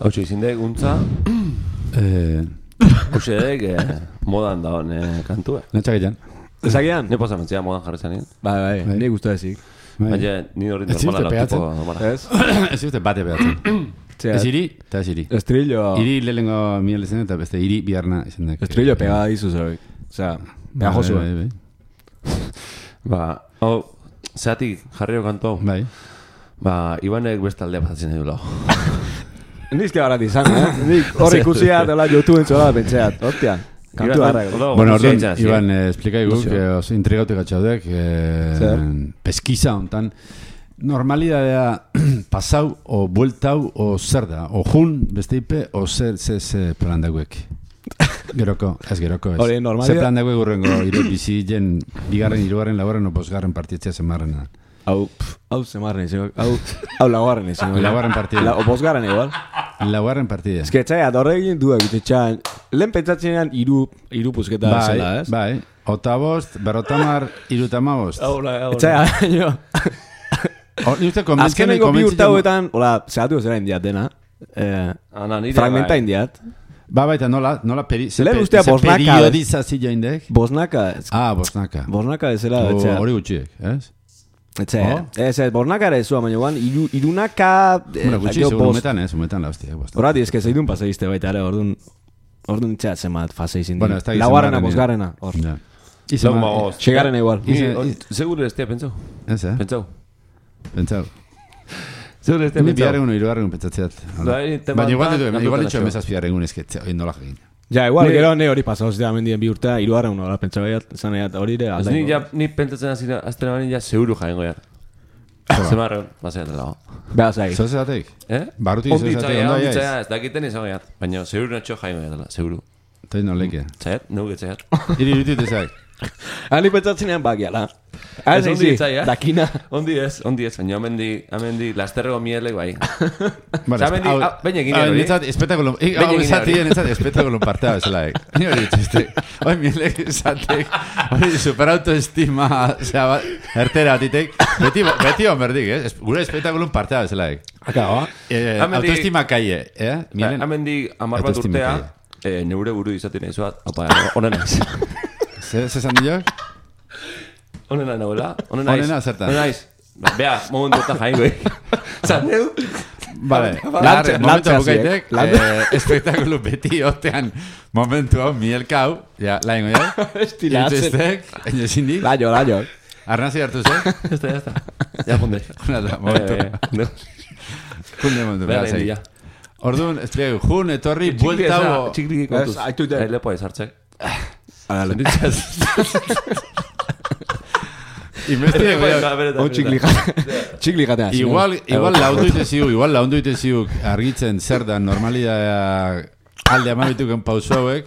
Hau izindek untza Hauxedek modan daun kantua. Netxak egin. Ezagian? Ne pasamen zia modan jarri zanin. Bai, nik uste ezik. Baina, ni hori normala lortuko normala. Ez? Ez uste bate behatzen. Ez iri, eta ez iri. Estrillo... Iri lehengo miel ezen eta beste iri biharna ezen. Estrillo pegada dizu zegoik. Osea, pega josu. Ba, zeatik jarriko kantu hau. Bai. Ba, Ibanek bestalde pasatzen edo lau. Nizke barat izan, Nik hor ikusiat, YouTubeen zola pentseat. Hostia, kantu harra. Bueno, orduan, Iban, explikai guk, oso intrigautik atxaudek, peskiza hontan, normalidadea pasau, o bueltau, o zer da, o jun, beste ipe, o zer plan dagoek. Geroko, ez. Hori, normalidad... Zer plan dagoek urrengo, bizi jen, bigarren, hirugarren, laugarren, o posgarren partitzea zemarrena. Hau zemarren izango, hau laugarren izango. Laugarren partida. O posgarren igual. Laugarren partida. Ez que txai, adorregin duak itetxan, lehen pentsatzenean iru pusketa zela, ez? Bai, otabost, berrotamar, irutamabost. Txai, jo. Azkenengo bi urtauetan, hola, zehatu zera indiat dena. Fragmenta indiat. Baita, nola periodizazio indek? Bosnaka. Bosnaka. Bosnaka ezela, etxea. Hori gutxiek, ez? Ez, Bornakara ez zua, baina guan, irunaka... Bueno, gutxi, umetan la hostia. Horati, ez que zeidun paseizte baita, orduan txea zemat faseizin. Bueno, laugarrena, bosgarrena, hor. Txegarrena igual. Seguro ez tia, pentsau. Ez, Pentsau. Seguro ez tia, pentsau. Biarren unu, irugarren pentsatzeat. Baina igual ditxo emezaz biarren ezketzea, hori nola egin. Ja, igual, gero ne hori pasau zidea mendien bi urtea, irugarren unu, pentsa hori ere aldaiko. Ni pentsatzen aztena baina seguru jaengo ya. Zemarren, bazea dela. Beha zaik. Zoze bateik? Barrutik zoze bateik, ondo aiz? Onditzea, ez dakiten izan gaiat. Baina seguru natxo jaengo dela, seguru. Toi no leke. Zaiat, nugu getzaiat. Iri irutit ezak. Ani pentsatzenean bakiala. Ez ondi itzai, dakina. Ondi ez, baina amendi lasterrego mielek bai. Baina egin hori. Nintzat, espetakulun partea bezalaek. Ni hori dituzte. Hoi mielek esatek, hori superautoestima, ertera atitek. Beti honberdik, gure espetakulun partea bezalaek. Akaba. Autoestima kaie, Amendi 10 bat urtea, neure buru izaten izuat, honen naiz. Zezan diok? Honena nagoela, honena zertan. Honena naiz. Bea, momentu eta jaingo, Zan neu? Vale, momentu bukaitek, espektakulu beti otean momentu hau, mielkau, ja, laingo ja. Estilatzen. Intzestek, enozindik. Laio. Arnazi hartu ze? Ya está. Ja, junde. Momentu. Junde momentu, beha zei. Orduan, espliegu, jun, etorri, bueltau... Txiklik kontuz. Lepo ez hartzek. Txikli jatea. Igual laundu iteziuk argitzen zer da normalidadea alde amabituken pausu hauek,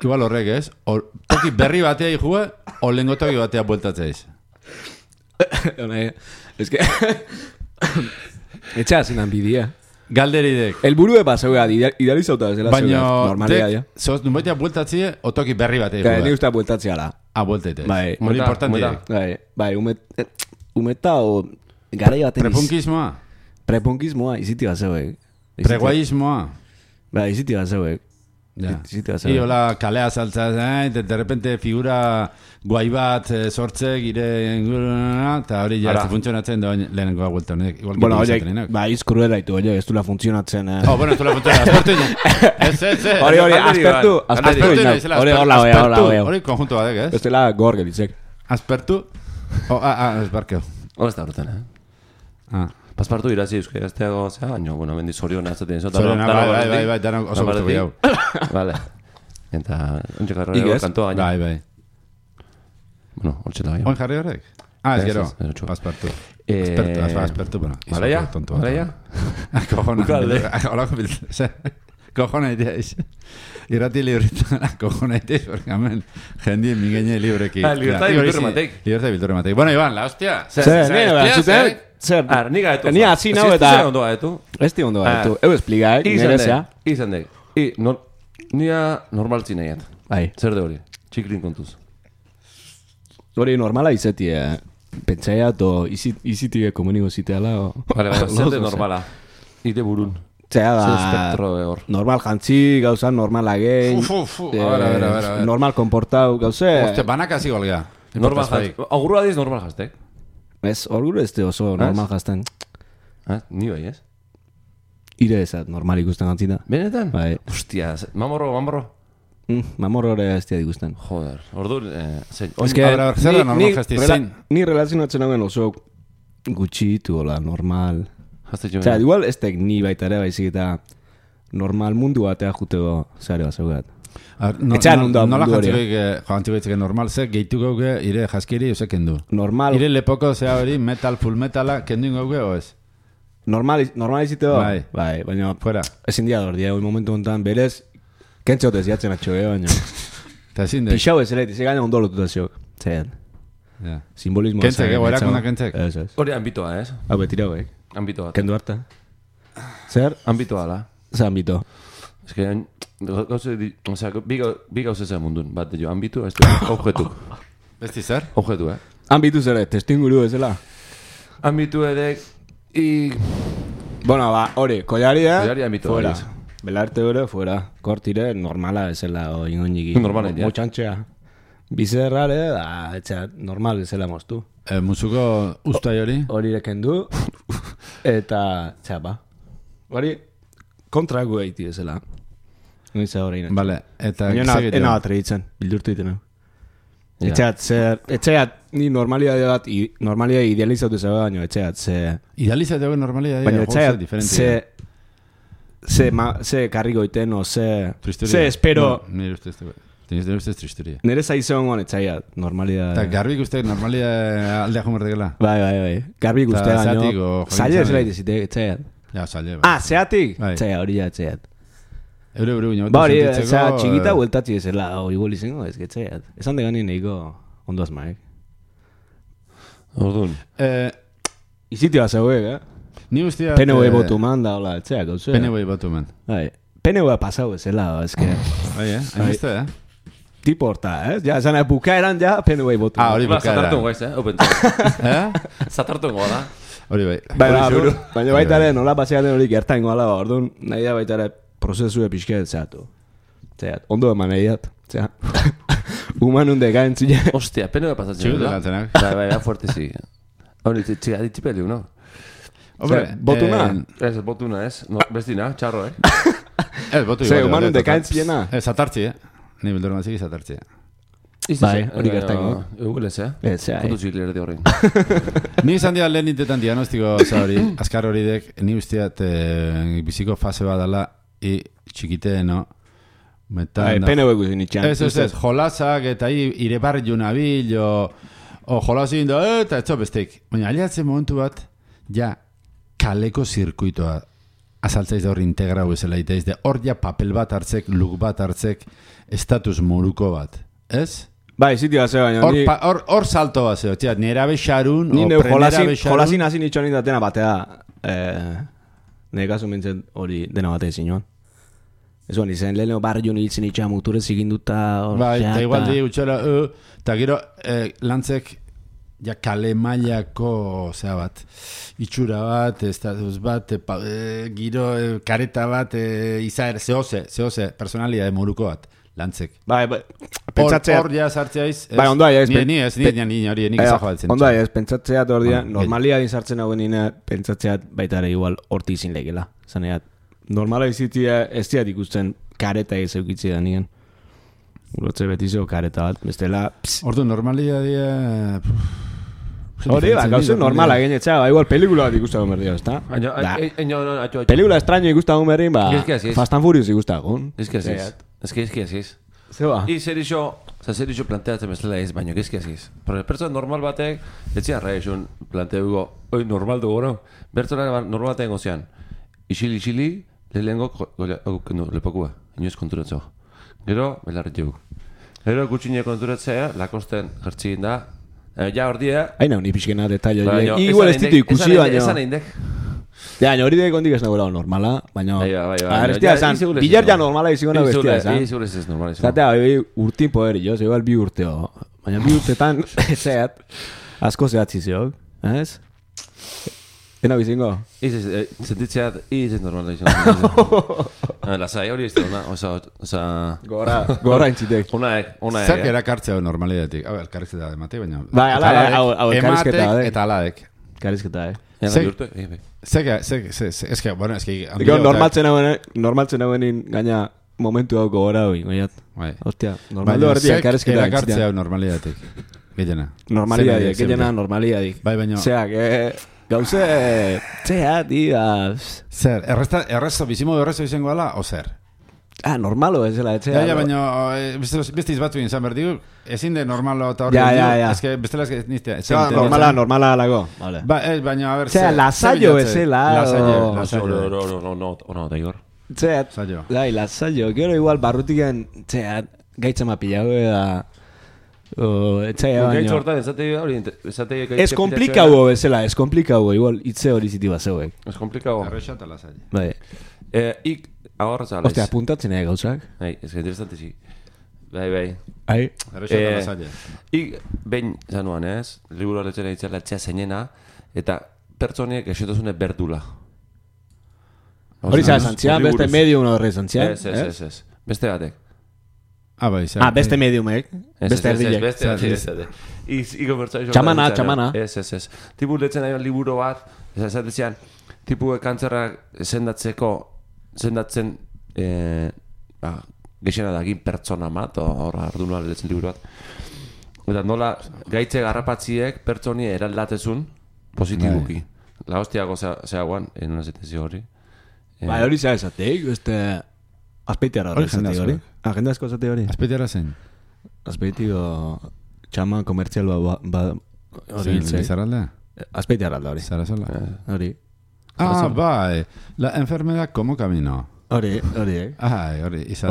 igual horrek ez, toki berri batea ikua, o lengotoki batea bueltatzea iz. Ez que... Etxea zinan bidea. Galderidek. El burue paseua idealizauta desela normalia ya. Sos numaitea bueltatzie o toki berri batei. Ni usta bueltatzea la. Bueltate. Bai, muy importante. Bai, umeta o garai baten. Prepunkismoa, iziti bazeuek. Preguaismoa. Bai, iziti bazeuek. Ja. Y hola, kalea saltza, de repente figura guai bat sortze gire eta hori ja funtzionatzen da lehenengo vuelta honek. Bueno, oye, ba izkruela ditu, oye, ez dula funtzionatzen. Bueno, ez dula funtzionatzen. Aspertu. Ez. Hori, aspertu. Hori, hori konjunto badek, ez? Ez dela gor gelitzek. Aspertu. Esbarkeo. Hora ez da horretan, Paspartu irazi euskera azteago, baina, bueno, bendi zorion azaten izo. Bai, danak oso gustu gehiago. Vale. Eta, ontsi jarri hori kantoa gaina. Bai. Bueno, ontsi da gaina. Oin jarri horrek? Ez gero, Paspartu. Aspertu, bueno. Vale ya? Kojona iteiz. Irrati librita, kojona iteiz, porque hemen jendien mingeine libreki. Libertad y bilturre matek. Bueno, Iban, la hostia. Zer, niga etu. Ni hasi nau eta... Zer ondo gaetu. Ez ti ondo gaetu. Eu explicaik, nerezea. Izan dek. Nia normaltzi nahiat. Bai. Zer de hori? Txiklin kontuz. Hori normala izetie. Pentsaia to izitie komuniko ziteala. Vale, zer de normala. Ite burun. Zea da... Normal jantzi, gauza normal agein. Normal komportau, gauze... Oste, banak hasi golga. Normal jantzi. Augurua diz normal jaztek. Ez, orguru ez oso normal jazten. Ni bai, ez? Ire ezat, normal ikusten gantzita. Benetan? Bai. Hostia, mamorro. Mamorro ere ez ikusten. Joder, ordu... Ez que, zera normal jazti zein. Ni relazionatzen hauen oso gutxitu, hola, normal. Osea, igual ez tek ni baita ere baizik eta normal mundu batea jutego zare bat zeugat. Etxean hunda nola mundu hori. jantzik normal ze gehitu gauge ire jaskiri ose kendu. Normal. Ire lepoko zea hori metal, full metala kendu gauge o ez? Normal iziteo? Bai, baina fuera. Ezin dia dordia, hoi momentu honetan berez kentxotez jatzen atxo baina. Ta ezin de. Pixau ez ere, ze gaina ondo lotuta ziok. Zean. Simbolismo. Kentzek, erakuna kentzek. Ez. hori ambitoa, ez? Hau betira hoek. Ambitoa. Kendu harta. Zer? Ambitoa, la. Zer ambito. Ez que, bi gauze zen mundun. Bat, jo, ambitu, ez du, objetu. Besti zer? Objetu, Ambitu zere, testinguru ezela. Ambitu edek, Bueno, hori, kollaria. Kollaria ambitu, fuera. hori. Belarte hori, fuera. Kortire, normala ezela, ingoiniki. Normalen, ja. Motxantxea. Bizerrare, etxea, normal ezela moztu. Musuko ustai hori? Hori kendu eta txapa. Hori kontragu egiti ezela. Noiza hori inatzen. Vale, eta ena bat reitzen, bildurtu iten. Etxeat, ni normalia idealizatu zebe baino, etxeat, idealizatu egu normalia baina etxeat, ze karriko iten, o ze espero. Nire ustez, teniz dira ustez tristuria. Nire zaizean guen etxeat, normalia. Eta garbik uste normalia aldea jomerdekela. Bai. Garbik uste baino. Zaila ez laite zitek, etxeat. Ja, zaila. Zeatik? Txea, hori ja, etxeat. Eure baina hori, txikita bueltatzi ezela, igual izango, ez getxeat. Esan de gani nahiko ondo azmaek. Ordun. Izitia zeuek, Ni ustia... PNV botu man da, hola, etxeak, hau zuen. PNV botu man. PNV pasau ezela, ezke. Bai, hainbeste, Tipo horta, ja, esan bukaeran ja, PNV botu man. Hori bukaeran. Zatartu goiz, opentu. Zatartu goa da. Hori bai. Baina baita ere, nola paseaten hori gertain goala, orduan, nahi da baita ere, prozesu epizket zeatu. Zeat, ondo eman egiat. Zeat. Humanun de gaintzile. Ostia, PNV pasatzen. Txigut elatzenak. Bai, fuerte zi. Hori, txiga ditipeliu, no? Hombre, botuna? Ez, botuna, ez. Bestina, txarro, Ez, botu igual. Humanun de gaintzilena? Zatartzi, Ni bildur mazik zatartzi, Bai, hori gertaino. Eguel ez, Foto txikler de horrein. Ni izan dira lehen intetan diagnostiko hori, azkar hori dek, ni usteat biziko fase badala txikiteeno. PNV guzin itxan. Ez, jolazak eta ire barri nabil, o jolazin da, eta ez bestek. Baina aliatzen momentu bat, ja, kaleko zirkuitoa azaltzaiz da hori integrau ezela iteaz, hor ja papel bat hartzek, luk bat hartzek, estatus moruko bat, ez? Bai, ziti bat zeo, baina... Hor salto bat zeo, tira, nera bexarun, o prenera bexarun... Jolazin hazin itxonin datena batea, nire kasu mentzen hori dena batea zinuan. Ez guan, izan leheno barriun hiltzen itxan muturez ikinduta... Bai, eta igual di utxera, eta gero lantzek, ja kale mailako, zea bat, itxura bat, estatus bat, giro kareta bat, izaer, zehose, personalia de moruko bat, lantzek. Bai, pentsatzea... Hor ja sartzeaiz... Bai, ondo ez... Ni hori, nik izan joatzen. Ondo ez, pentsatzeat hor dia, normalia dintzartzen hauen nina, pentsatzeat baita ere igual horti izin legela. Zaneat, normala izitia ez diat ikusten kareta ez eukitzi da nien. Urotze betizio kareta bat, bestela... Ordu, normalia dia... Hori, gauzen normala genetxea, igual pelikula bat ikustagun berdia, ezta? Pelikula extraño ikustagun berrin, Fast and Furious ikustagun. Ez que aziz. Zeba? Zer iso planteatzen bezala ez, baina ez que aziz. Pertsona normal batek, etxean raizun planteugo, oi normal dugu, no? Bertzona normal batek gozean. Isili, lehengo lepokua, inoez konturatzo. Gero, belarret jugu. Gero, gutxine konturatzea, lakosten jertzigin da, ja hor dia... Haina, honi pixkena detailo. Igual ez ditu ikusi, baina... Esan eindek. Ja, hori dek ondik ez nagoela normala, baina... Bestia esan, bilar ja normala izigona bestia esan. Iziguna ez normala izigona. Zatea, urtin poderi, jo, igual bi urteo. Baina bi urtetan, ezeat, asko zehatzi zeok, ez? Ena bizingo? Sentitzeat, normala izan. Lasai hori ez da, oza... Gora intzitek. Onaek. Zer erakartzea normalidatik? Hau, elkarrizketa da emate, baina... Bai, hau elkarrizketa da. Ematek eta alaek. Elkarrizketa, Eske, bueno, eske... Normaltzen hauen gaina momentu hau gogora hoi, goiat. Hostia, normaldo berdi elkarrizketa. Erakartzea normalidatik. Gehiena. Normalidadik. Bai, baina... Zeak, gauze... Zea, tia... Zer, bizimodu errezo izango ala, o zer? Normalo ez dela, etxea. Ja, baina, beste izbatu izan behar digu, ezin de normalo eta hori. Ja. Ez que bestela ez nizte. Normala alago. Baina, a ver... Zea, lasaio ezela. No, da igor. Zea, lasaio. Gero igual barrutiken, zea, gaitzama pilago da... Gaitz hortan, esate... Ez komplikau bezala, ez komplikau, igual, itze hori ziti bat zeuek. Ez komplikau. Errexat ala zaila. Bai. Ik, ahorra zala. Ostia, apuntatzen gauzak. Bai, ez que interesante zi. Bai. Errexat ala zaila. Ik, behin zanuan ez, liburu horretzen eitzela etxea zeinena, eta pertsoniek esetozune berdula. Hori zantzian, beste medium horre zantzian. Ez. Beste batek. Bai, beste mediumek. Beste erdilek. Beste. Txamana. Ez. Tipu letzen nahi liburu bat, esatezian, tipu kantzerra sendatzen gexena dagin pertsona mat, horra arduna letzen liburu bat. Eta nola gaitze garrapatziek pertsoni eraldatezun positibuki. La hostiago zeaguan, en una zetezio hori. Bai, hori zea esateik, beste... Azpeitiara hori zate hori. Agendazko zate hori. Azpeitiara zen? Azpeitiko txama komertzial hori hiltzei. Zerraldea? Azpeitiara alda hori. Zarazola? Hori. Bai. La enfermedad como camino. Hori. Hori, izan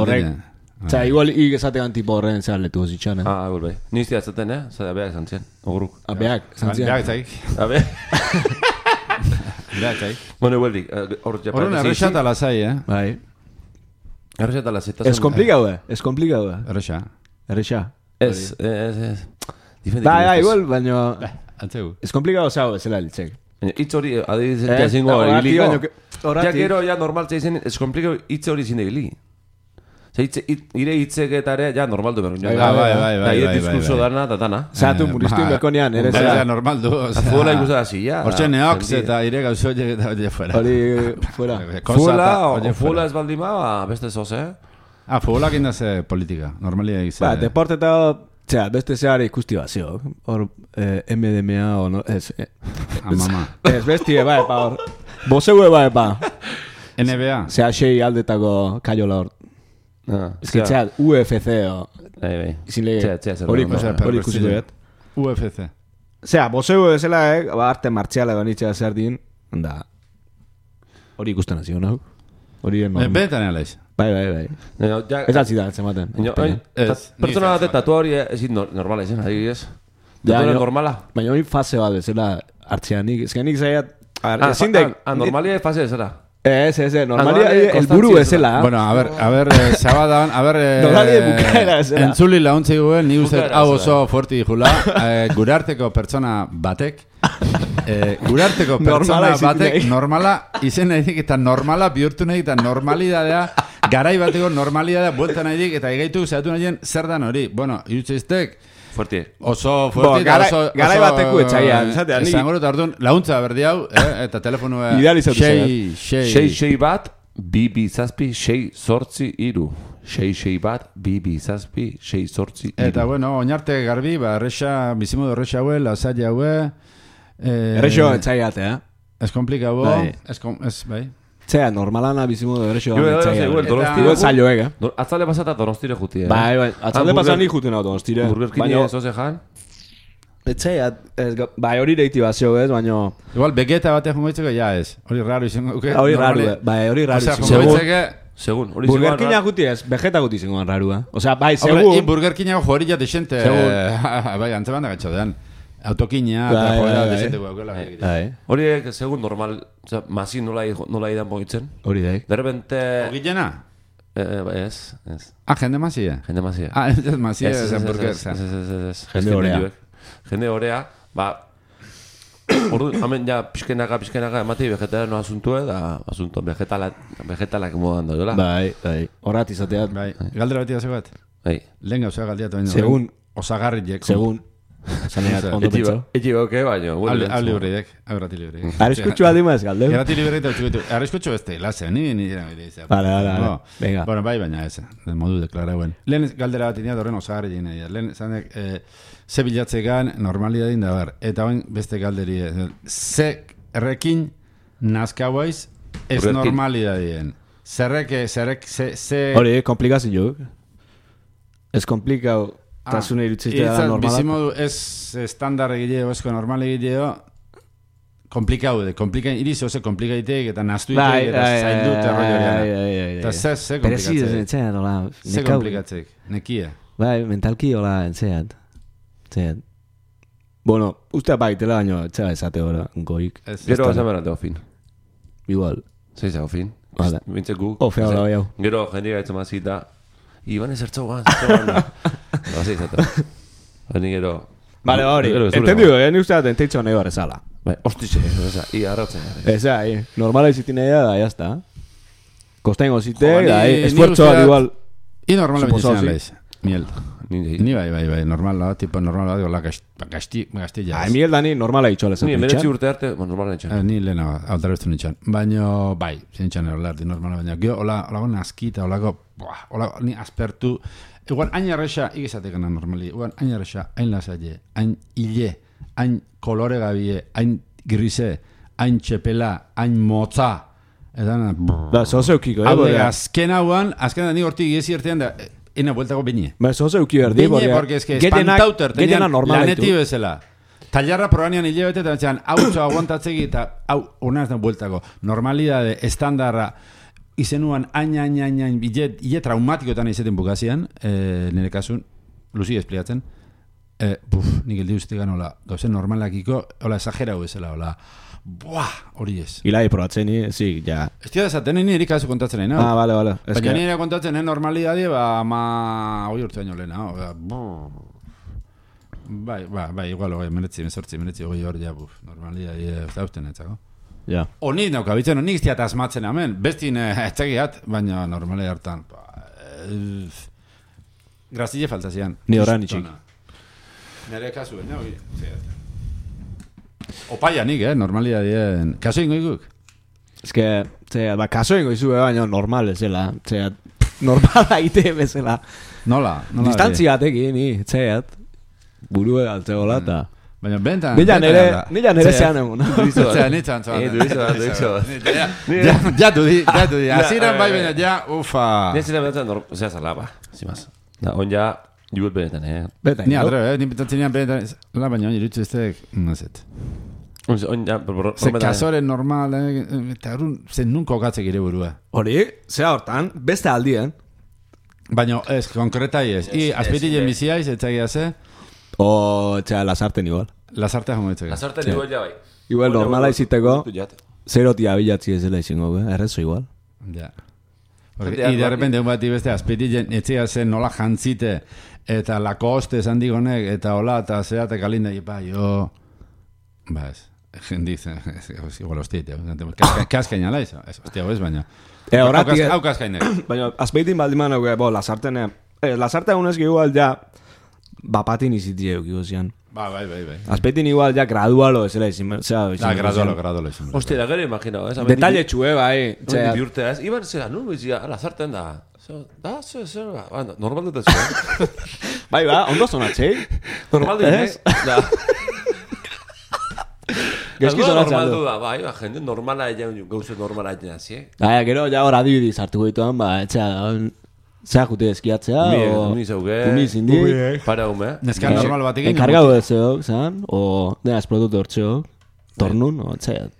Osea, igual esatean tipo horren zerletu zitxan, igual bai. Nizti atzaten, Zara beak zantzien, oguruk. Beak zantzien. Beak zaik. Beak zaik. Bueno, igualdik. Horren errexat ala zai, Bai. Errexat ala zitazen. Ez komplikau, Errexa. Ez. Bai, igual, baina... Antzegu. Ez komplikau zau, ez zela litzek. Itz hori, adibizentia zingo hori biliko. Ja, gero, ja, normaltza izan, ez komplikau itz hori zinde gili. Ire hitzeketare, ja, normaldu berun. Bai. Diskurso dana, da dana. Zatu, muristu bekonean, ere zera. Bai, normaldu. Fuela ikusa hasi, ja. Hortxe neox eta ire gauzoiek eta hori fuera. Hori, fuera. Fuela ez baldima, beste zoz, Fuelak indaze politika, normalia egizea. Ba, deporte eta, beste zehar ikusti bat, zio. Hor, MDMA, o no, ez. Mama. Ez, bestie, bai, hor. Bozeue, bai, NBA. Zea, xei aldetako kaiola hor. Ez que txat, UFC o... Hori ikusi duet. UFC. Zea, bozeu ezela, arte martziala ganitzea zer din, da... Hori ikusten hasi hona. Benetan egalez. Bai. Ez altzidan, zematen. Pertsona bat tatu hori ezin normala izan, adibidez. Tatu normala. Baina hori fase bat ezela hartzean nik. Ez que nik zaiat... Normalia fase ezela. Ez, normalia el buru ezela. Bueno, a ver, sabadan, normalia bukaera ezela. Entzuli launtzi guen, ni uste hau oso fuerti dijula, gurarteko pertsona batek, normala, izen nahi dik, eta normala bihurtu nahi, eta normalidadea, garai bateko normalidadea, buelta nahi dik, eta egaitu zehatu nahien zer dan hori. Bueno, irutzeiztek, fuerti. Oso fuerti da, oso... Garai bateku etxaian, zatean. Esango dut ardun, launtza berdi hau, eta telefonu... Sei bat, bi zazpi, sei sortzi iru. Sei bat, bi zazpi, sei sortzi iru. Eta bueno, oinarte garbi, errexa, bizimodu errexa haue, lasai haue... Errexo etxaiate, Ez komplikau, ez bai. Zea, normalana bizimudu errexo Igual zailo, Atzalde pasata Donostire juti, Bai, atzalde pasata nik jutena Donostire. Burgerkini zoze jan? Etzea, bai, hori deiti bat zio, baina... Igual, begeta batek jungoitzeko, ja ez. Hori raro izango. Hori raro izango. Segun. Burgerkina guti ez, vegeta guti zingoan rarua. Osea, bai, segun... Hombre, burgerkina jori jate xente... Bai, antzeban da gatxodean. Autokina, eta joera desenteko aukela. Horiek, segun normal, masi nola idan boitzen. Hori daik. De repente... Ogillena? Ez. Jende masia? Jende masia. Ez masia, ez hamburguesa. Jende horea. Jende horea, ba... ordu, hemen ja pixkenaka emati vegetarano asuntue, da asunto vegetalak modan doela. Bai, horrat izateat. Bai, galdera beti da bat. Bai. Lehen gauza galdiatu baino. Segun. Osagarriek. Segun. Zaneat, ondo pentsa. Ekiboke, baino. Hau libreek, hau grati libreek. Arriskutxu aldimaz, galdeu. Grati libreek da txukitu. Arriskutxu beste, lase, ni dira izan. Vale, venga. Bueno, bai, baina ez, de modu deklarauen. Lehen galdera bat inia dorren osagarri jina. Lehen, zanek, ze bilatzegan normalidadin da bar. Eta oin beste galderi, ze errekin nazkauaiz ez normalidadien. Zerrek, ze... Hori, komplikazio. Ez komplikau... Tasune irutziztea da normalak. Bizimodu ez estandar egileo, esko normal egileo, komplikaude. Iriz oso komplikaitek eta naztuitek eta zaindut erroiorean. Eta ze komplikatzek? Ze komplikatzek? Nekia? Bai, mentalki hola entzeat. Bueno, uste baitela baino, etxea esate hori, goik. Gero esan berante ofin. Igual. Zeiza ofin. Vale. Bintze guk. Ofea hola bai hau. Gero jendia gaitzen mazita. Iban ezertzogan. Hasi izate. Hori gero... Vale, hori. Entendigo, ni uste bat enteitzo nahi barrezala. Bai, hostize, i arrotzen. Eza, normala izitin nahi da, jazta. Kostengo zite, esfuerzo igual... I normala bentzizena laiz. Miel. Ni bai, normala, tipo normala, la gastilla. Miel da ni normala itxola zen. Ni, meretzi urte arte, normala itxan. Ni lehena, aldaraztu nitxan. Baina, bai, zintxan erlardi normala, baina. Gio, olago nazkita, olago, ni aspertu... Igual, hain arresa, ikizatekana normali, igual, hain arresa, hain lasaile, hain hile, hain kolore gabie, hain grise, hain txepela, hain motza. Eta, da, zozeukiko, azken hauan, ni hortik giezi ertean da, ena bueltako bine. Ba, zozeuki berdi, porque es que espantauter, tenian laneti bezala. Tallarra probanean hile bete, eta betxean, hau txo aguantatzegi, eta hau, unaz da bueltako. Normalidade, estandarra, izenuan hain, hile traumatikoetan izaten bukazian, nire kasun, luzi espliatzen, nik eldi ustegan, hola, gauzen normalakiko, hola, exagerau bezala, hola, hori ez. Hilai probatzen, sí, ja. Ez tira desaten, nire kasu kontatzen, no? Vale. Baina nire kontatzen, normalidade, hoi urte baino lehena, bai, igual, meretzi, hoi hor, ja, normalidade, ez dauzten etzako. Ja. Oni naukabitzen, nik iztiat asmatzen hemen, bestin etxegiat, baina normale hartan. Grazile faltazian. Ni horan itxik. Nere kasuen, no? Opaia nik, normalia dien. Kaso ingo iguk? Ez que, kaso ingo izu, baina normal ezela. Normala ite bezala. Nola? Distantzia tekin, etxeat. Burue altzegola eta... Baina bentan... Nila nere zean egun. Nitzan Jatu di. Aziran bai baina ja, ufa. Nizira benetan, ozea zalaba. Zimaz. On ja, jugut benetan, Benetan. Ni adre, ni benetan benetan. La baina, irutzu eztek, nazet. On ja, ze kasoren normal, eta arun, zen nunko gatzek ire burua. Hori, zea hortan, beste aldien. Baina, ez, konkretai ez. I, azpitile biziaiz, etzagia ze. O, lasarten igual. Lasartea jongo ditzeko. Lasarten igual ja bai. Igual normala iziteko, zerotia bilatzi ez dela izango, errezo igual. Ja. I de repente, un bati beste, azpitilen etxea zen nola jantzite, eta Lacoste esan digonek, eta hola, eta zeate kalinda, jo... Ba ez, jendiz, igual hostiete, kaskaina la izo, hostia, ez baina. Hau kaskainek. Baina, azpeitin baldiman, lasarten egunez igual ja, bapatin izitie eukiko zian. Bai. Azpeitin igual ja gradualo ezela izin. Gradualo izin. Hostia, da gero imaginau, detalle txue, bai. Biurtea ez, iban zera, nun bizia, lazarten da. Normal dut ez. Bai, ondo zonatzei. Normal dut ez. Gezki zonatzen normal du da, bai, jende normala egin, gauze normala egin hazi, Gero, ja hor adibidi sartuko dituan, zea jute eskiatzea, umi zindi, para hume. Neskan normal bat egin. Enkargau ez zeok, zan, o denaz produktu hortzeok, tornun, o txeat.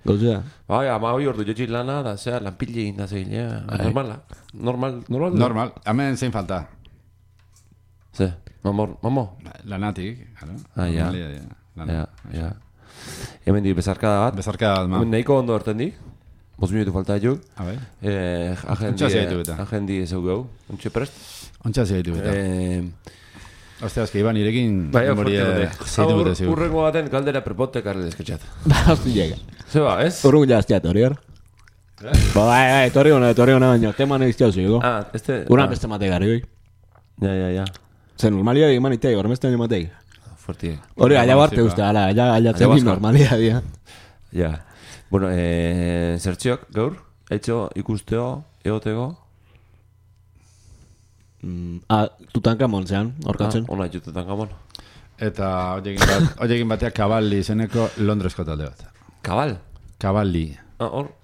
Gauzea. Bai, ama hoi ordu jotxit lana, da zea, lanpille egin da zeilea, normala. Normal, hemen zein falta. Ze, mamo? Lanatik, ja. Hemen di bezarkada bat. Bezarkada bat, ma. Nahiko ondo hartzen di. 5 minutu falta juk. Agendi ez gau. Ontxe prest? Ontsa zeitu eta. Ostia, eski, Iban, irekin... Bai, zeitu bute zigur. Urrengo baten galdera prepote karri desketxat. Hosti llega. Zeba, ez? Urrun jaztia, torior. Bai, torri hona baino. Teman egiztia zuiko. Este... Uran beste mate gari, oi. Ja. Zer, normalia eman itei, gormezten matei. Fuerti. Hori, allá barte uste, allá zen normalia, dia. Ja. Bueno, zertziok, gaur? Eitzo ikusteo, egoteko? Tutankamon zean, orkatzen. Ona, Tutankamon. Eta hoiekin bateak Cavalli izeneko Londresko talde bat. Kabal? Cavalli. Hor?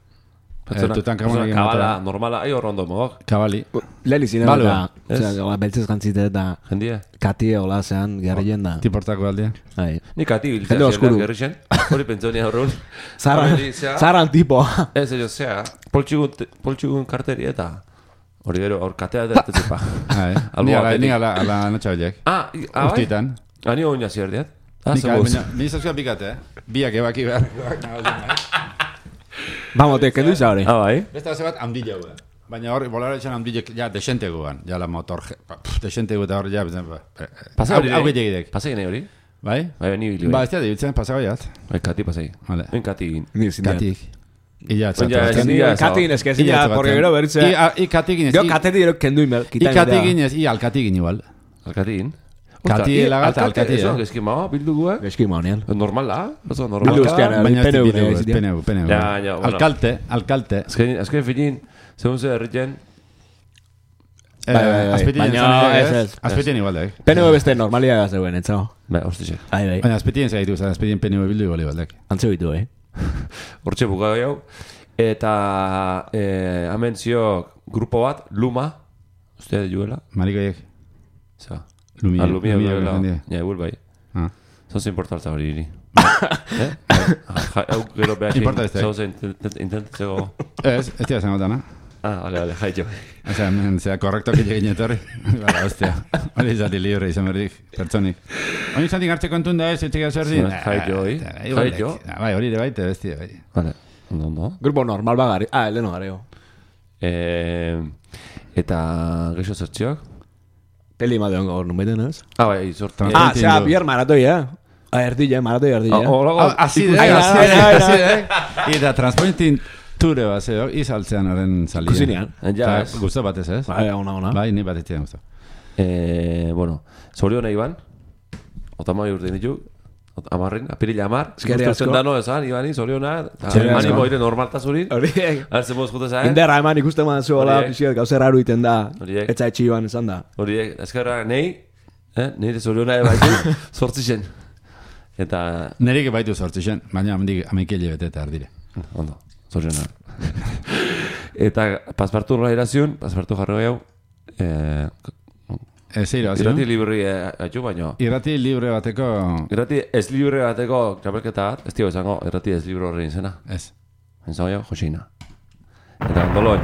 Tutankamon egin Kabala, normala, hor ondo mogok. Cavalli. Leli zine eta beltzez gantzite eta Jendia? Kati hola zean gerrien da. Tiportako aldea. Ni Kati biltzea zela gerrixen. Hori pentsonia horrun. Zaran tipo. Ez, ello, zea, poltsugun karteri eta... Hori gero, hor katea da ertetzepa. Ni ala natxabelek. Bai? Uztitan. Ni oina zierdiat. Ni zazua pikate, Biak ebaki behar. Vamos, te kendu izan hori. Bai? Beste base bat handila gu. Baina hor, bolara etxan handilek, ja, desente guan. Ja, la motor, desente gu eta hor, ja, Pasa hori? Hau gehiagidek. Pasa gine hori? Bai? Bai, ni bili. Ba, ez da, dibitzen, pasa gaiat. Bai, Kati pasai. Vale. Kati egin. Katik. Illa, Katigin eske, zila, porque gero berritze. I katigin ez. Gero katetik gero kendu inbel. I katigin ez, i alkatigin igual. Alkatigin? Kati lagat alkati. Eso, geski mao, bildu gu, Geski maunian. Normala, oso normal. Bildu ustean, peneu. Ja, Alkalte. Azken finin, segun ze herriten. Azpetien igual da, PNV beste normalia zegoen, etzago. Bai, hostizek. Baina azpetien zaitu, azpetien PNV bildu igual igual da. Antzeu ditu, Hortxe buka gehiago. Eta hemen zio grupo bat, Luma. Ustea juela. Marikoiek. Za. Lumia juela. Ja, eguel bai. Zoze importartza hori hiri. Hau gero behar zoze intentatzeko. Ez tira zen gotana. Vale, jaitxo. Osea, korrekto que lleguin etorri. Bala, hostia. Hori izati libre izan berdik, pertsonik. Hori izantik hartzeko entun da ez, etxekea zer din. Jaitxo, Jaitxo. Bai, hori de baite, bestia, bai. Vale, ondo. Grupo normal bagari. Eleno gareo. Eta geixo zertziok? Peli ma deon gaur numeten, ez? Bai, sortu. Zea, bier maratoi, erdile, maratoi erdile. Así de. Eta Transpointing Ture bat zeo, izaltzean horren salia. Kusinean. Ja, gusto batez, ez? Bai, ona. Bai, ni bat etxean gusto. Bueno, zoriona Iban. Otamai urte ditu. Amarrin, apirila amar. Eskerri asko. Dano esan, Ibani, zoriona. Animo ire normaltazurin. Horiek. Arzen moz jute zain. Inderra eman ikusten man zuela, pixiet, gauzer haru iten da. Etza etxi Iban esan da. Horiek, eskerra, nahi, nire zoriona baitu, sortzixen. Eta... Nerik baitu sortzixen, baina amekile bete eta ardire. Ondo. Zoriona. Eta paspartu nola iraziun, paspartu jarro gehiago. Irrati libri atxu baino. Irrati libre bateko... Irrati ez libre bateko txapelketa bat, ez tio esango, irrati ez libre horrein zena. Ez. Entzako jo, Josina. Eta ondolo.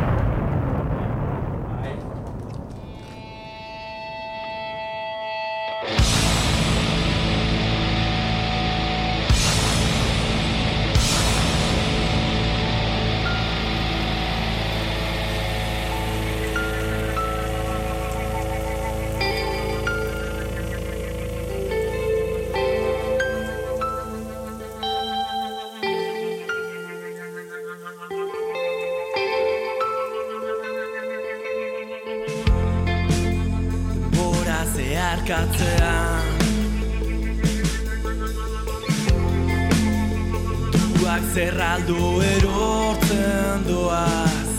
Zerraldo erortzen doaz,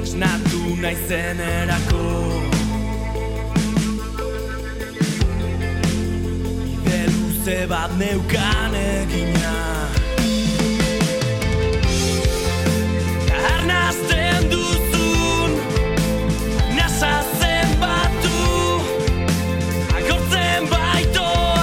esnatu naizen erako, bide luze bat neukan egina, arnazten duzun, nasazen batu, agortzen baitoa.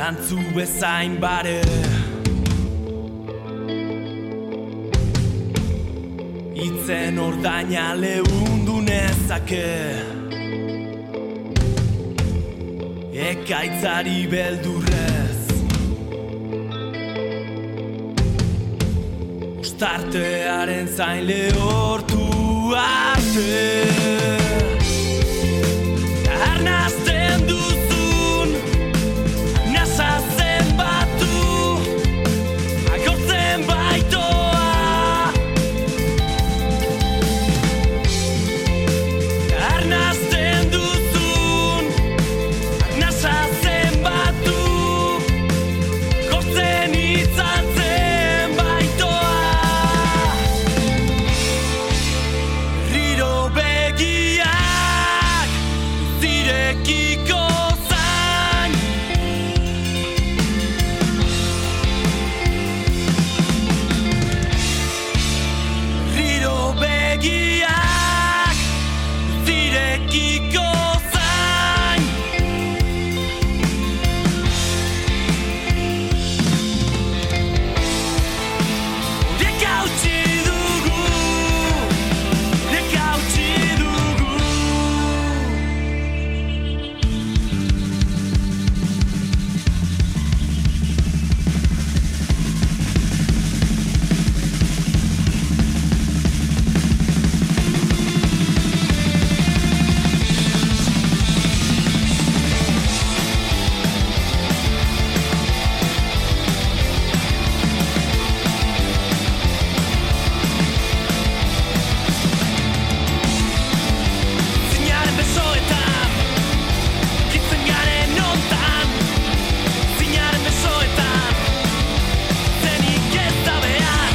Dantzu bezain bare Itzen ordaina lehundu nezake Ekaitzari beldurrez Ostartearen zain lehortu arte Arnazten duzun Nasa zenbatu Agortzen baitoa Arnazten duzun Nasa zenbatu Gortzen itzaltzen baitoa Riro begiak Zirekiko zain Riro begiak Zirekiko zain Dekautzi dugu Dekautzi dugu Zinaren besoetan Kitzen garen nontan Zinaren besoetan Zenik ez da behar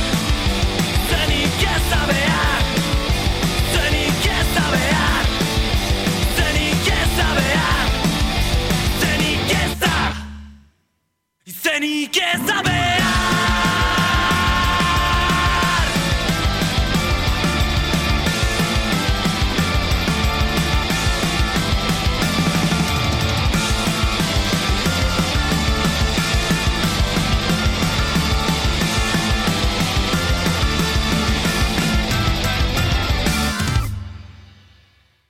Zenik ez da behar Zenik ez da behar Zenik ez da behar Zenik ez da Zenik ez da behar